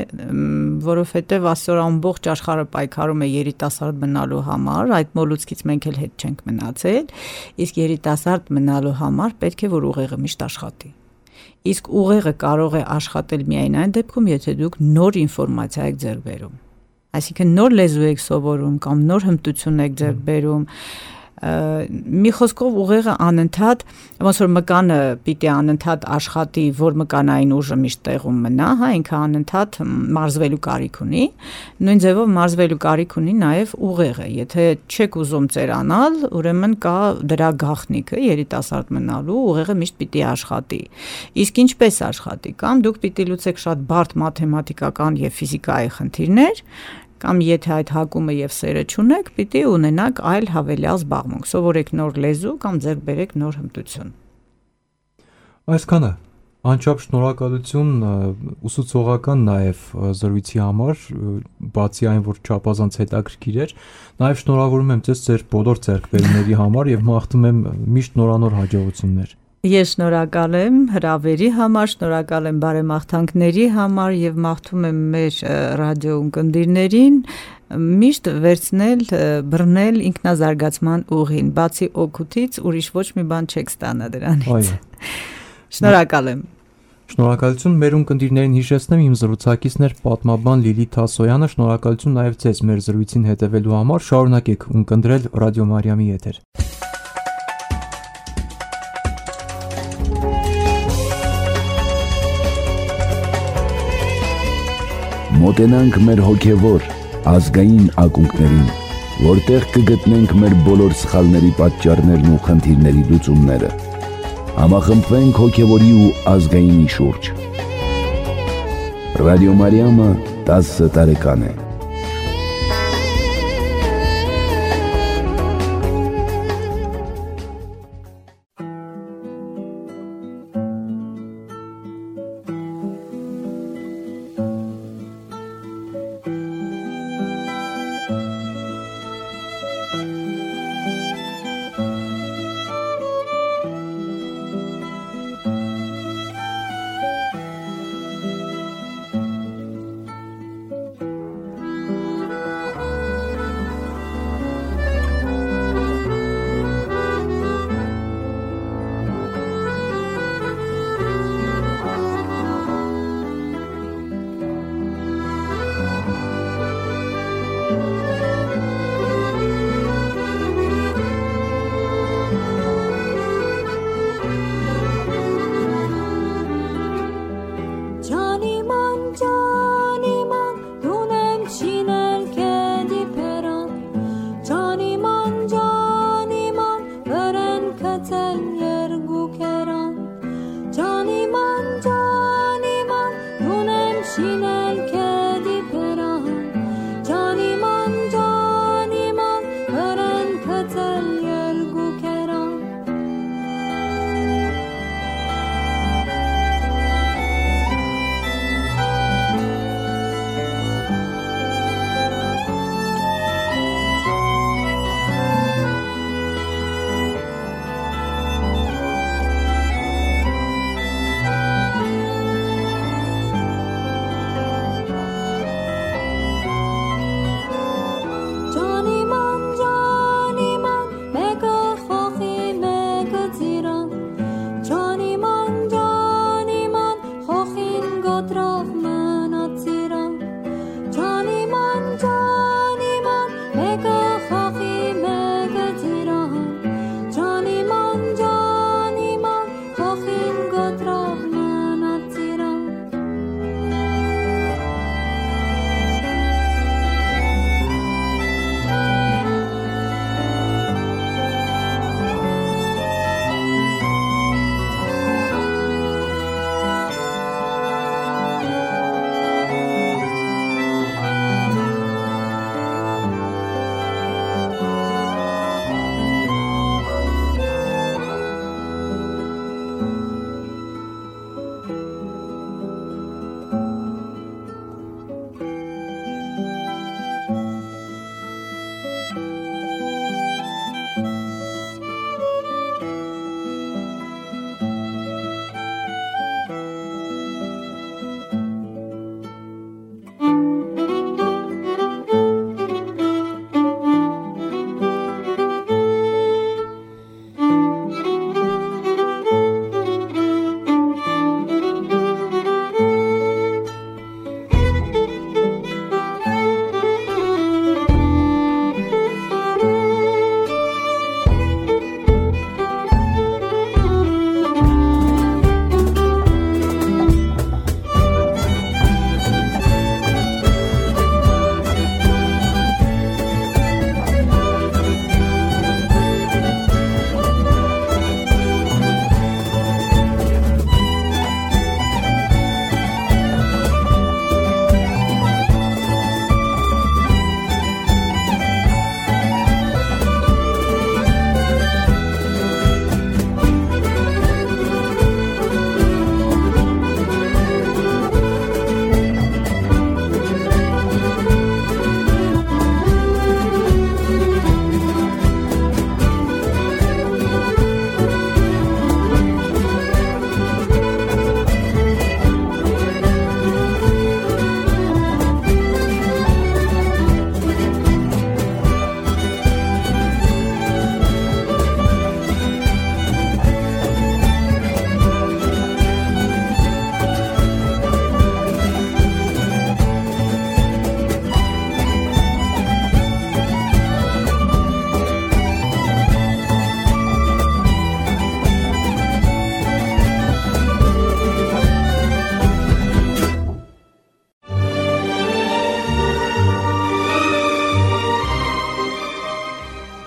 որովհետև այսօր ամբողջ աշխարհը պայքարում է երիտասարդ մնալու համար, այդ մոլուցքից մենք էլ հետ չենք մնացել, իսկ երիտասարդ մնալու համար պետք է որ ուղեղը միշտ աշխատի։ Իսկ ուղեղը կարող է աշխատել միայն այն դեպքում, եթե դուք նոր ինֆորմացիա եք ձեռք բերում։ Այսինքն նոր լեզու եք սովորում կամ նոր հմտություն եք ձեռք բերում, մի խոսքով ուղեղը անընդհատ, ոնց որ մկանը պիտի անընդհատ աշխատի, որ մկանային ուժը միշտ տեղում մնա, ինքը անընդհատ մարզվելու կարիք ունի, նույն ձևով մարզվելու կարիք ունի նաև ուղեղը, եթե չեք ուզում ծերանալ, ուրեմն կա դրա գաղտնիքը երիտասարդ մնալու, ուղեղը միշտ պիտի աշխատի, իսկ ինչպես աշխատի, կամ դուք պիտի լուծեք շատ բարդ մաթեմատիկական և ֆիզիկայի խնդիրներ, կամ եթե այդ հակումը եւ սերը չունեք, պիտի ունենաք այլ հավելյալ զբաղմունք, սովորեք նոր լեզու կամ ձեռք բերեք նոր հմտություն։ Այսքանը, անչափ շնորհակալություն ուսուցողական նաեւ զրույցի համար, բացի այն, որ չափազանց հետաքրքիր էր, նաեւ շնորհավորում եմ ձեզ ձեր բոլոր ձեռքբերումների համար եւ մաղթում եմ միշտ նորանոր հաջողություններ։ Ես շնորհակալ եմ հրավերի համար, շնորհակալ եմ բարեմաղթանքների համար եւ մաղթում եմ մեր ռադիո ունկնդիրներին միշտ վերցնել, բռնել ինքնազարգացման ուղին, բացի օգուտից ուրիշ ոչ մի բան չեք ստանա դրանից։ Շնորհակալ եմ։ Շնորհակալություն մեր ունկնդիրներին հիշեցնեմ, իմ զրուցակիցն էր պատմաբան Լիլիթ Հասոյանը, շնորհակալություն նաեւ ձեզ մեր զրույցին հետևելու համար, շարունակեք ունկնդրել Ռադիո Մարիամի եթեր։ մոտենանք մեր հոգևոր, ազգային ակունքներին, որտեղ կգտնենք մեր բոլոր սխալների պատճառներն ու խնդիրների լուծումները։ Համախմբվենք հոգևորի ու ազգայինի շուրջ։ Ռադիո Մարիամը 10 տարեկան է։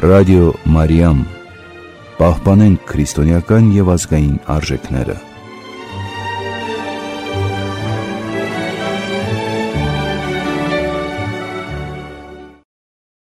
Ռադիո Մարիամ։ Պահպանենք քրիստոնեական եւ ազգային արժեքները։